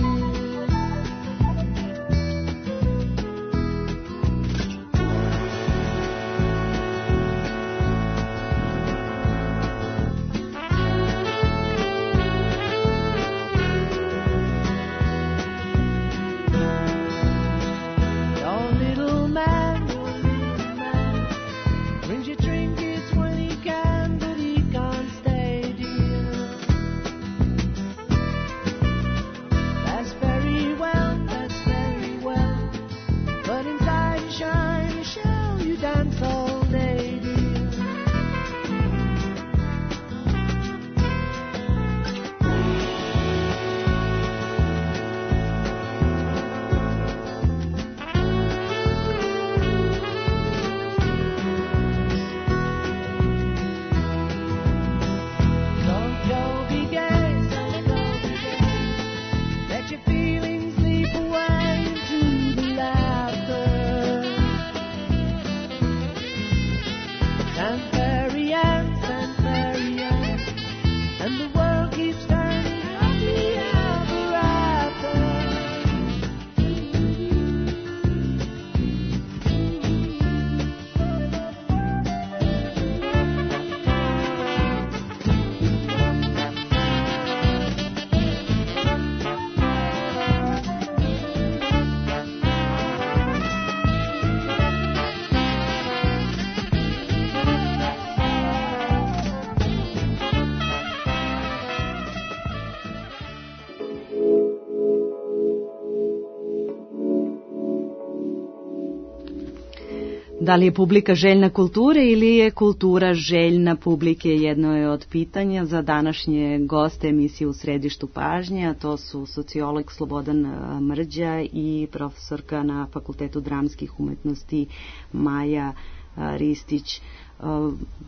Da li je publika željna kulture ili je kultura željna publike, jedno je od pitanja za današnje goste emisije U središtu pažnje, a to su sociolog Slobodan Mrđa i profesorka na Fakultetu dramskih umetnosti Maja Ristić.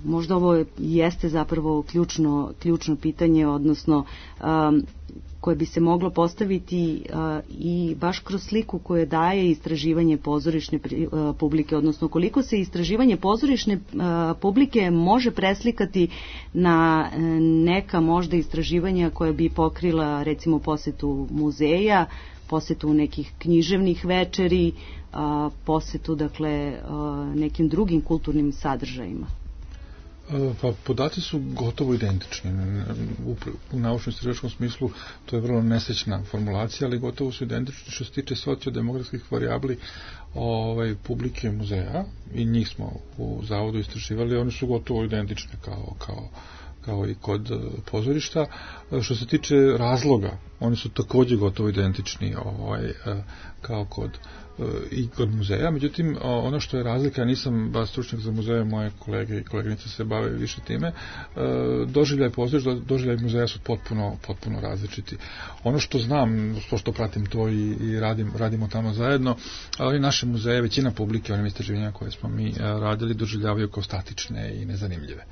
Možda ovo jeste zapravo ključno, ključno pitanje, odnosno koje bi se moglo postaviti i baš kroz sliku koje daje istraživanje pozorišne publike, odnosno koliko se istraživanje pozorišne publike može preslikati na neka možda istraživanja koja bi pokrila recimo posetu muzeja, posetu nekih književnih večeri, posetu dakle nekim drugim kulturnim sadržajima. Pa podaci su gotovo identični. U naučno-istraživačkom smislu to je vrlo nesrećna formulacija, ali gotovo su identični što se tiče sociodemografskih varijabli ovaj, publike muzeja, i njih smo u zavodu istraživali, oni su gotovo identični kao, kao, kao i kod pozorišta. Što se tiče razloga, oni su također gotovo identični ovaj, kao kod i kod muzeja, međutim ono što je razlika, ja nisam baš stručnjak za muzeje, moje kolege i koleginice se bave više time, doživljaj pozorišta, doživljaj muzeja su potpuno, potpuno različiti. Ono što znam, što pratim to i, i radim, radimo tamo zajedno, ali naše muzeje, većina publike, onim istraživanjima koje smo mi radili, doživljavaju kao statične i nezanimljive,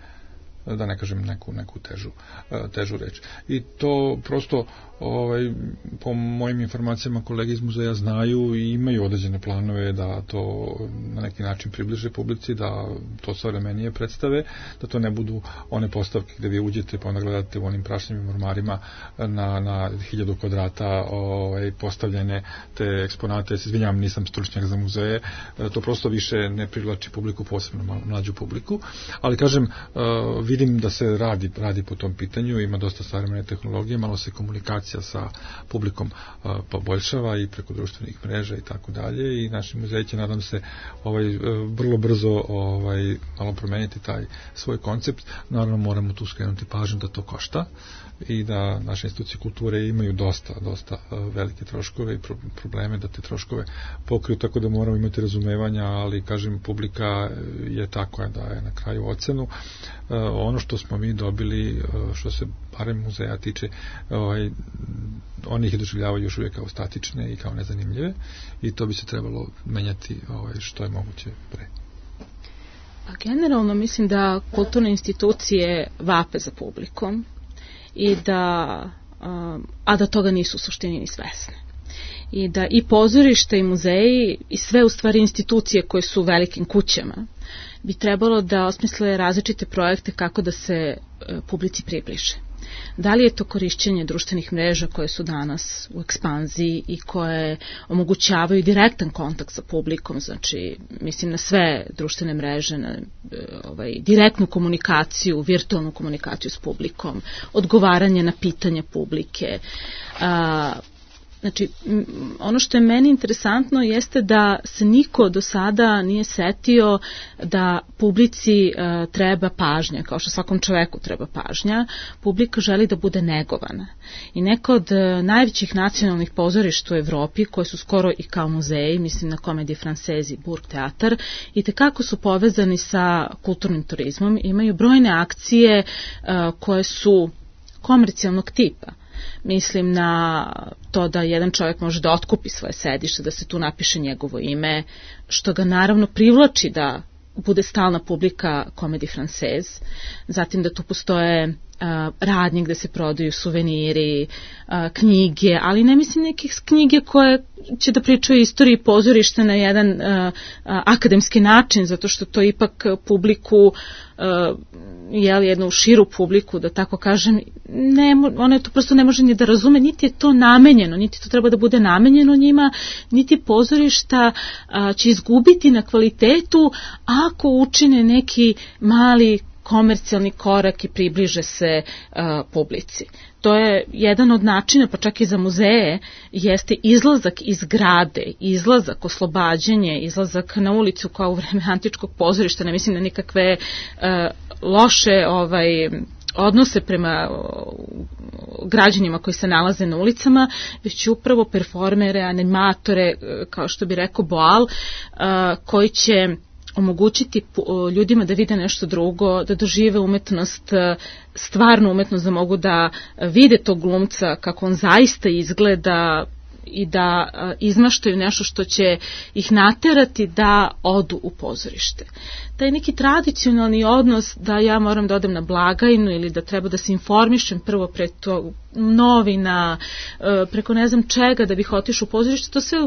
da ne kažem neku, neku težu, težu reč. I to prosto ovaj, po mojim informacijama kolege iz muzeja znaju i imaju određene planove da to na neki način približe publici, da to savremenije predstave, da to ne budu one postavke gde vi uđete pa onda gledate u onim prašnjivim ormarima na, na hiljadu kvadrata ovaj, postavljene te eksponate. Se izvinjavam, nisam stručnjak za muzeje, to prosto više ne privlači publiku, posebno mlađu publiku, ali kažem, vi vidim da se radi, radi po tom pitanju, ima dosta savremene tehnologije, malo se komunikacija sa publikom a, poboljšava i preko društvenih mreža i tako dalje, i naši muzeji će, nadam se, ovaj, vrlo brzo ovaj, malo promeniti taj svoj koncept. Naravno moramo tu skrenuti pažnju da to košta i da naše institucije kulture imaju dosta, dosta velike troškove i probleme da te troškove pokriju, tako da moramo imati razumevanja, ali kažem, publika je ta koja daje na kraju ocenu. Ono što smo mi dobili, što se barem muzeja tiče, ovaj, oni ih doživljavaju još uvijek kao statične i kao nezanimljive, i to bi se trebalo menjati ovaj, što je moguće pre. Pa generalno mislim da kulturne institucije vape za publikom i da, a da toga nisu u suštini ni svesne. I da i pozorište i muzeji i sve u stvari institucije koje su u velikim kućama bi trebalo da osmisle različite projekte kako da se publici približe. Da li je to korišćenje društvenih mreža koje su danas u ekspanziji i koje omogućavaju direktan kontakt sa publikom, znači mislim na sve društvene mreže, na ovaj, direktnu komunikaciju, virtualnu komunikaciju s publikom, odgovaranje na pitanja publike. A, Znači, ono što je meni interesantno jeste da se niko do sada nije setio da publici uh, treba pažnja, kao što svakom čoveku treba pažnja. Publika želi da bude negovana. I neko od uh, najvećih nacionalnih pozorišta u Evropi, koje su skoro i kao muzeji, mislim na Comédie Française i Burgtheater, i tekako su povezani sa kulturnim turizmom, imaju brojne akcije uh, koje su komercijalnog tipa. Mislim na to da jedan čovjek može da otkupi svoje sedište, da se tu napiše njegovo ime, što ga naravno privlači da bude stalna publika Comédie Française, zatim da tu postoje uh, radnje gde se prodaju suveniri, uh, knjige, ali ne mislim nekih knjige koje će da pričaju istoriji pozorišta na jedan uh, uh, akademski način, zato što to ipak publiku, uh, jel, jednu širu publiku, da tako kažem, ne, ona to prosto ne može ni da razume, niti je to namenjeno, niti to treba da bude namenjeno njima, niti pozorišta uh, će izgubiti na kvalitetu ako učine neki mali komercijalni korak i približe se uh, publici. To je jedan od načina, pa čak i za muzeje, jeste izlazak iz grade, izlazak, oslobađanje, izlazak na ulicu kao u vreme antičkog pozorišta, ne mislim na nikakve uh, loše ovaj, odnose prema građanima koji se nalaze na ulicama, već upravo performere, animatore, kao što bi rekao Boal, uh, koji će omogućiti ljudima da vide nešto drugo, da dožive umetnost, stvarnu umetnost, da mogu da vide tog glumca kako on zaista izgleda i da izmaštaju nešto što će ih naterati da odu u pozorište. Taj neki tradicionalni odnos da ja moram da odem na blagajnu ili da treba da se informišem prvo pre to novina, preko ne znam čega da bih otišao u pozorište, to sve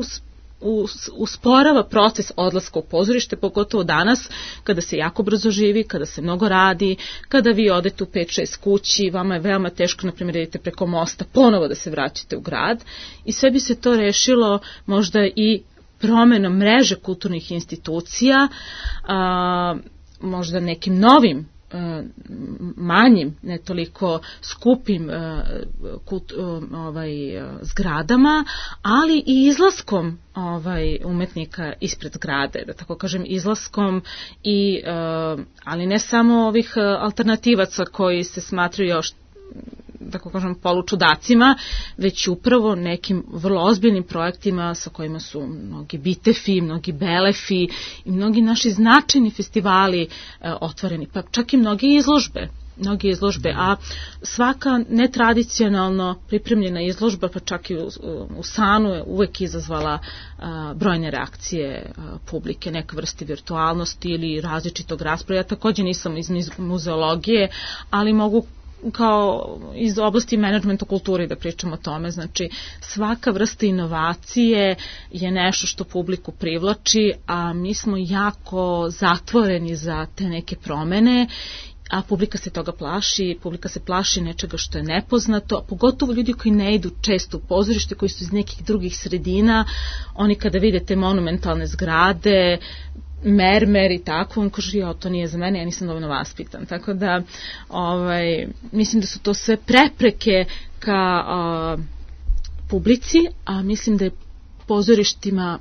usporava proces odlaska u pozorište, pogotovo danas kada se jako brzo živi, kada se mnogo radi, kada vi odete u pet šest kući, vama je veoma teško, na primjer, idete preko mosta, ponovo da se vraćate u grad, i sve bi se to rešilo možda i promenom mreže kulturnih institucija, a, možda nekim novim manjim, ne toliko skupim kult, ovaj, zgradama, ali i izlaskom ovaj, umetnika ispred zgrade, da tako kažem, izlaskom i, ali ne samo ovih alternativaca koji se smatraju još, tako kažem, polučudacima, već upravo nekim vrlo ozbiljnim projektima sa kojima su mnogi Bitefi, mnogi Belefi i mnogi naši značajni festivali e, otvoreni, pa čak i mnogi izložbe. mnoge izložbe, a svaka netradicionalno pripremljena izložba, pa čak i u, u Sanu je uvek izazvala a, brojne reakcije a, publike, neke vrste virtualnosti ili različitog rasprava. Ja također nisam iz muzeologije, ali mogu kao iz oblasti menadžmenta kulture da pričamo o tome. Znači, svaka vrsta inovacije je nešto što publiku privlači, a mi smo jako zatvoreni za te neke promene, a publika se toga plaši, publika se plaši nečega što je nepoznato, a pogotovo ljudi koji ne idu često u pozorište, koji su iz nekih drugih sredina, oni kada vide te monumentalne zgrade, mermer i tako, on kaže, ja, to nije za mene, ja nisam dovoljno vaspitan. Tako da, ovaj, mislim da su to sve prepreke ka a, publici, a mislim da je pozorištima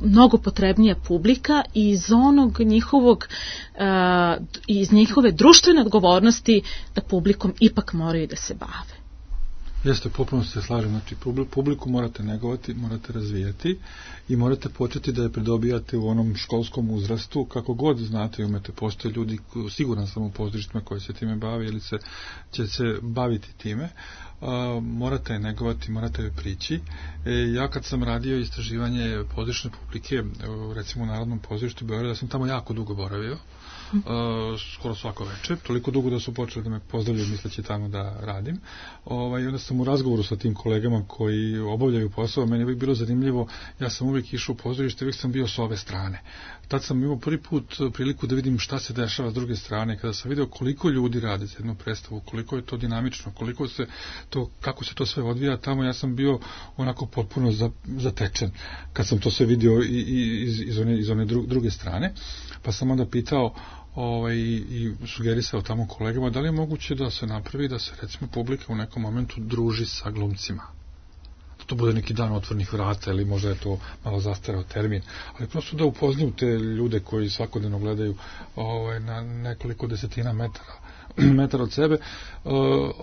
mnogo potrebnija publika i iz onog njihovog, uh, iz njihove društvene odgovornosti da publikom ipak moraju da se bave. Jeste, potpuno se slažem, znači publiku morate negovati, morate razvijati i morate početi da je pridobijate u onom školskom uzrastu, kako god znate i umete. Postoje ljudi, siguran sam u pozorištima koji se time bavi ili se, će se baviti time. Uh, morate je negovati, morate je prići. E, ja kad sam radio istraživanje pozorišne publike, uh, recimo u Narodnom pozorištu Beograda, sam tamo jako dugo boravio. Uh, skoro svako večer, toliko dugo da su počeli da me pozdravljaju misleći tamo da radim. Ovaj, onda sam u razgovoru sa tim kolegama koji obavljaju posao, meni je uvijek bilo zanimljivo, ja sam uvijek išao u pozorište, uvijek sam bio s ove strane. Tad sam imao prvi put priliku da vidim šta se dešava s druge strane, kada sam video koliko ljudi radi za jednu predstavu, koliko je to dinamično, koliko se to, kako se to sve odvija tamo, ja sam bio onako potpuno zatečen kad sam to sve vidio i, i, iz, iz one, iz one druge strane, pa sam onda pitao Ovaj, i sugerisao tamo kolegama da li je moguće da se napravi da se recimo publika u nekom momentu druži sa glumcima, da to bude neki dan otvornih vrata ili možda je to malo zastareo termin, ali prosto da upoznaju te ljude koji svakodnevno gledaju ovaj, na nekoliko desetina metara metara od sebe, uh,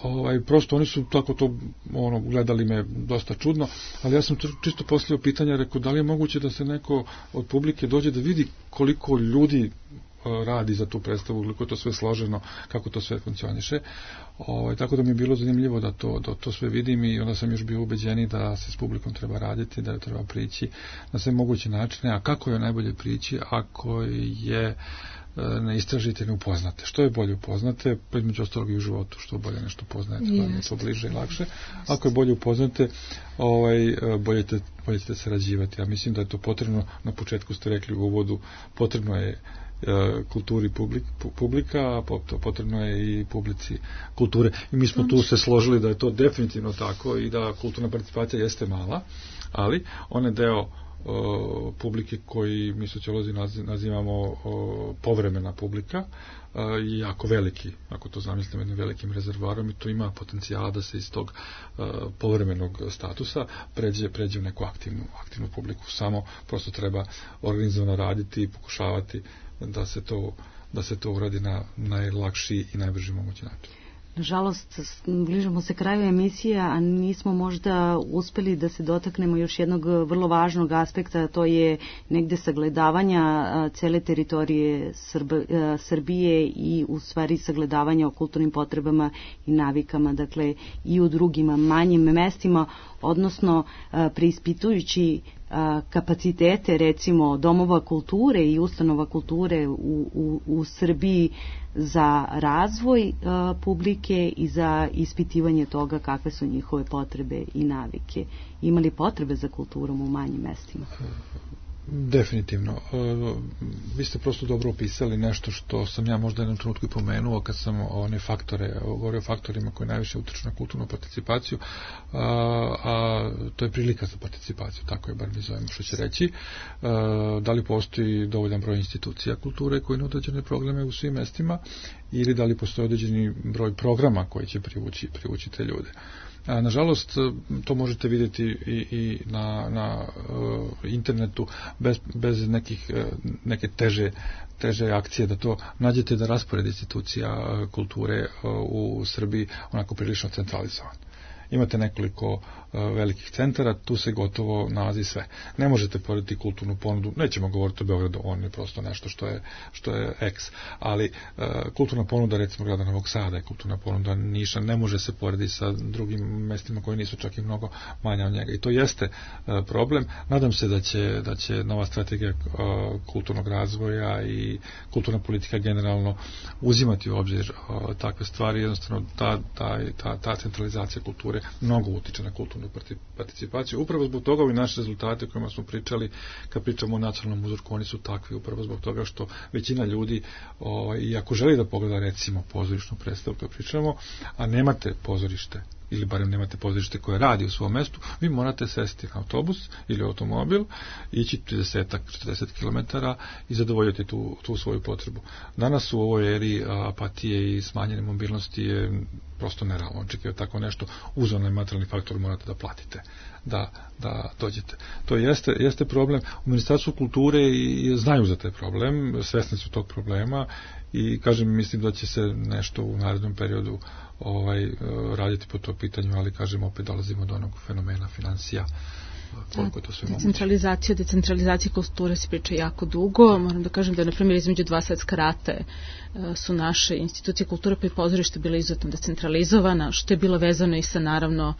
ovaj, prosto oni su tako to ono, gledali me dosta čudno, ali ja sam čisto postavio pitanje, rekao da li je moguće da se neko od publike dođe da vidi koliko ljudi radi za tu predstavu, koliko je to sve složeno, kako to sve funkcioniše. Ovaj, tako da mi je bilo zanimljivo da to, da to sve vidim i onda sam još bio ubeđeni da se s publikom treba raditi, da je treba prići na sve moguće načine, a kako je najbolje prići ako je ne istražite, ne upoznate. Što je bolje upoznate, pa između ostalog i u životu, što bolje nešto poznajete, pa je to bliže i lakše. Ako je bolje upoznate, ovaj, bolje, te, bolje ćete sarađivati. Ja mislim da je to potrebno, na početku ste rekli u uvodu, potrebno je kulturi publik, publika, a potrebno je i publici kulture. I mi smo tu se složili da je to definitivno tako i da kulturna participacija jeste mala, ali on je deo o, publike koji mi sociolozi nazivamo o, povremena publika i jako veliki, ako to zamislimo jednim velikim rezervoarom, i to ima potencijala da se iz tog uh, povremenog statusa pređe, pređe u neku aktivnu, aktivnu publiku. Samo prosto treba organizovano raditi i pokušavati da se to, da se to uradi na najlakši i najbrži mogući način. Nažalost, bližamo se kraju emisije, a nismo možda uspeli da se dotaknemo još jednog vrlo važnog aspekta, to je negde sagledavanja cele teritorije Srb, Srbije i u stvari sagledavanja o kulturnim potrebama i navikama, dakle i u drugim manjim mestima, odnosno preispitujući kapacitete recimo domova kulture i ustanova kulture u, u, u Srbiji za razvoj uh, publike i za ispitivanje toga kakve su njihove potrebe i navike. Ima li potrebe za kulturom u manjim mestima? Definitivno. Uh, vi ste prosto dobro opisali nešto što sam ja možda jednom trenutku i pomenuo kad sam one faktore, govorio o faktorima koji najviše utiču na kulturnu participaciju, uh, a to je prilika za participaciju, tako je bar mi zovemo što će reći. Uh, da li postoji dovoljan broj institucija kulture koji nude određene programe u svim mestima ili da li postoji određeni broj programa koji će privući, privući te ljude. A, nažalost, to možete vidjeti i, i na, na uh, internetu bez, bez nekih, uh, neke teže, teže akcije, da to nađete da raspored institucija uh, kulture uh, u Srbiji onako prilično centralizovan. Imate nekoliko uh, velikih centara, tu se gotovo nalazi sve. Ne možete porediti kulturnu ponudu, nećemo govoriti o Beogradu, on je prosto nešto što je, što je eks, ali uh, kulturna ponuda recimo grada Novog Sada, kulturna ponuda Niša ne može se porediti sa drugim mestima koji nisu čak i mnogo manja od njega. I to jeste uh, problem. Nadam se da će, da će nova strategija uh, kulturnog razvoja i kulturna politika generalno uzimati u obzir uh, takve stvari. Jednostavno ta, ta, ta, ta centralizacija kulture mnogo utiče na kulturnu participaciju. Upravo zbog toga ovi naši rezultati o kojima smo pričali, kad pričamo o nacionalnom uzorku, oni su takvi upravo zbog toga što većina ljudi, o, i ako želi da pogleda recimo pozorišnu predstavu koju pričamo, a nemate pozorište ili barem nemate pozorište koje radi u svom mestu, vi morate sesti na autobus ili automobil, ići trideset do četrdeset kilometara i zadovoljiti tu, tu svoju potrebu. Danas u ovoj eri apatije i smanjene mobilnosti je prosto nerealno očekivati tako nešto, uz onaj materijalni faktor morate da platite da, da dođete. To jeste, jeste problem. U Ministarstvu kulture i znaju za taj problem, svesni su tog problema i kažem, mislim da će se nešto u narednom periodu ovaj, raditi po to pitanju, ali kažem, opet dolazimo do onog fenomena financija. Koliko je to sve moguće. Decentralizacija, decentralizacija kulture se priča jako dugo. Moram da kažem da, na primjer, između dva svetska rata su naše institucije kulture pa i pozorište bile izuzetno decentralizovana, što je bilo vezano i sa, naravno,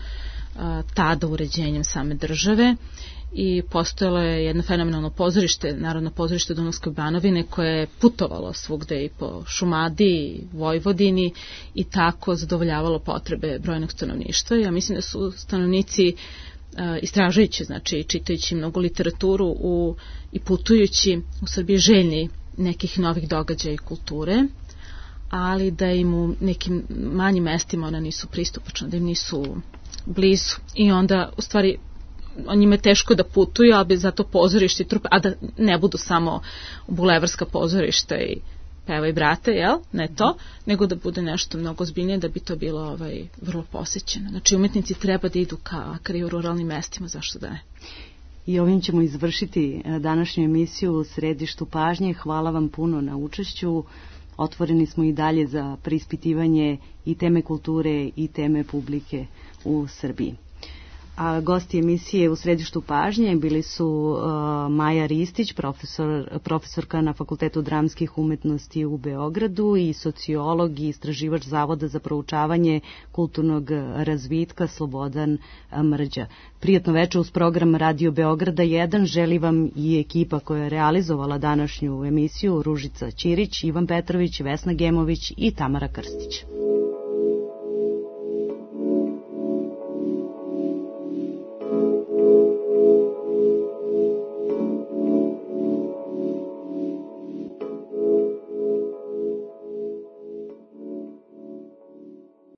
tada uređenjem same države. I postojalo je jedno fenomenalno pozorište, Narodno pozorište Dunavske Banovine, koje je putovalo svugde i po Šumadiji, Vojvodini i tako zadovoljavalo potrebe brojnog stanovništva. Ja mislim da su stanovnici istražujući, znači čitajući mnogo literaturu u, i putujući u Srbiji željni nekih novih događaja i kulture, ali da im u nekim manjim mestima ona nisu pristupačna, da im nisu blizu. I onda, u stvari, on njima je teško da putuju, ali bi zato pozorište i trupe, a da ne budu samo bulevarska pozorišta i peva i brate, jel? Ne to, nego da bude nešto mnogo ozbiljnije, da bi to bilo ovaj, vrlo posjećeno. Znači, umetnici treba da idu ka, ka u ruralnim mestima, zašto da ne? I ovim ćemo izvršiti današnju emisiju u Središtu pažnje. Hvala vam puno na učešću. Otvoreni smo i dalje za preispitivanje i teme kulture i teme publike u Srbiji. A gosti emisije u Središtu pažnje bili su uh, Maja Ristić, profesor, profesorka na Fakultetu dramskih umetnosti u Beogradu i sociolog i istraživač Zavoda za proučavanje kulturnog razvitka Slobodan Mrđa. Prijatno večer uz program Radio Beograda jedan želi vam i ekipa koja je realizovala današnju emisiju, Ružica Ćirić, Ivan Petrović, Vesna Gemović i Tamara Krstić.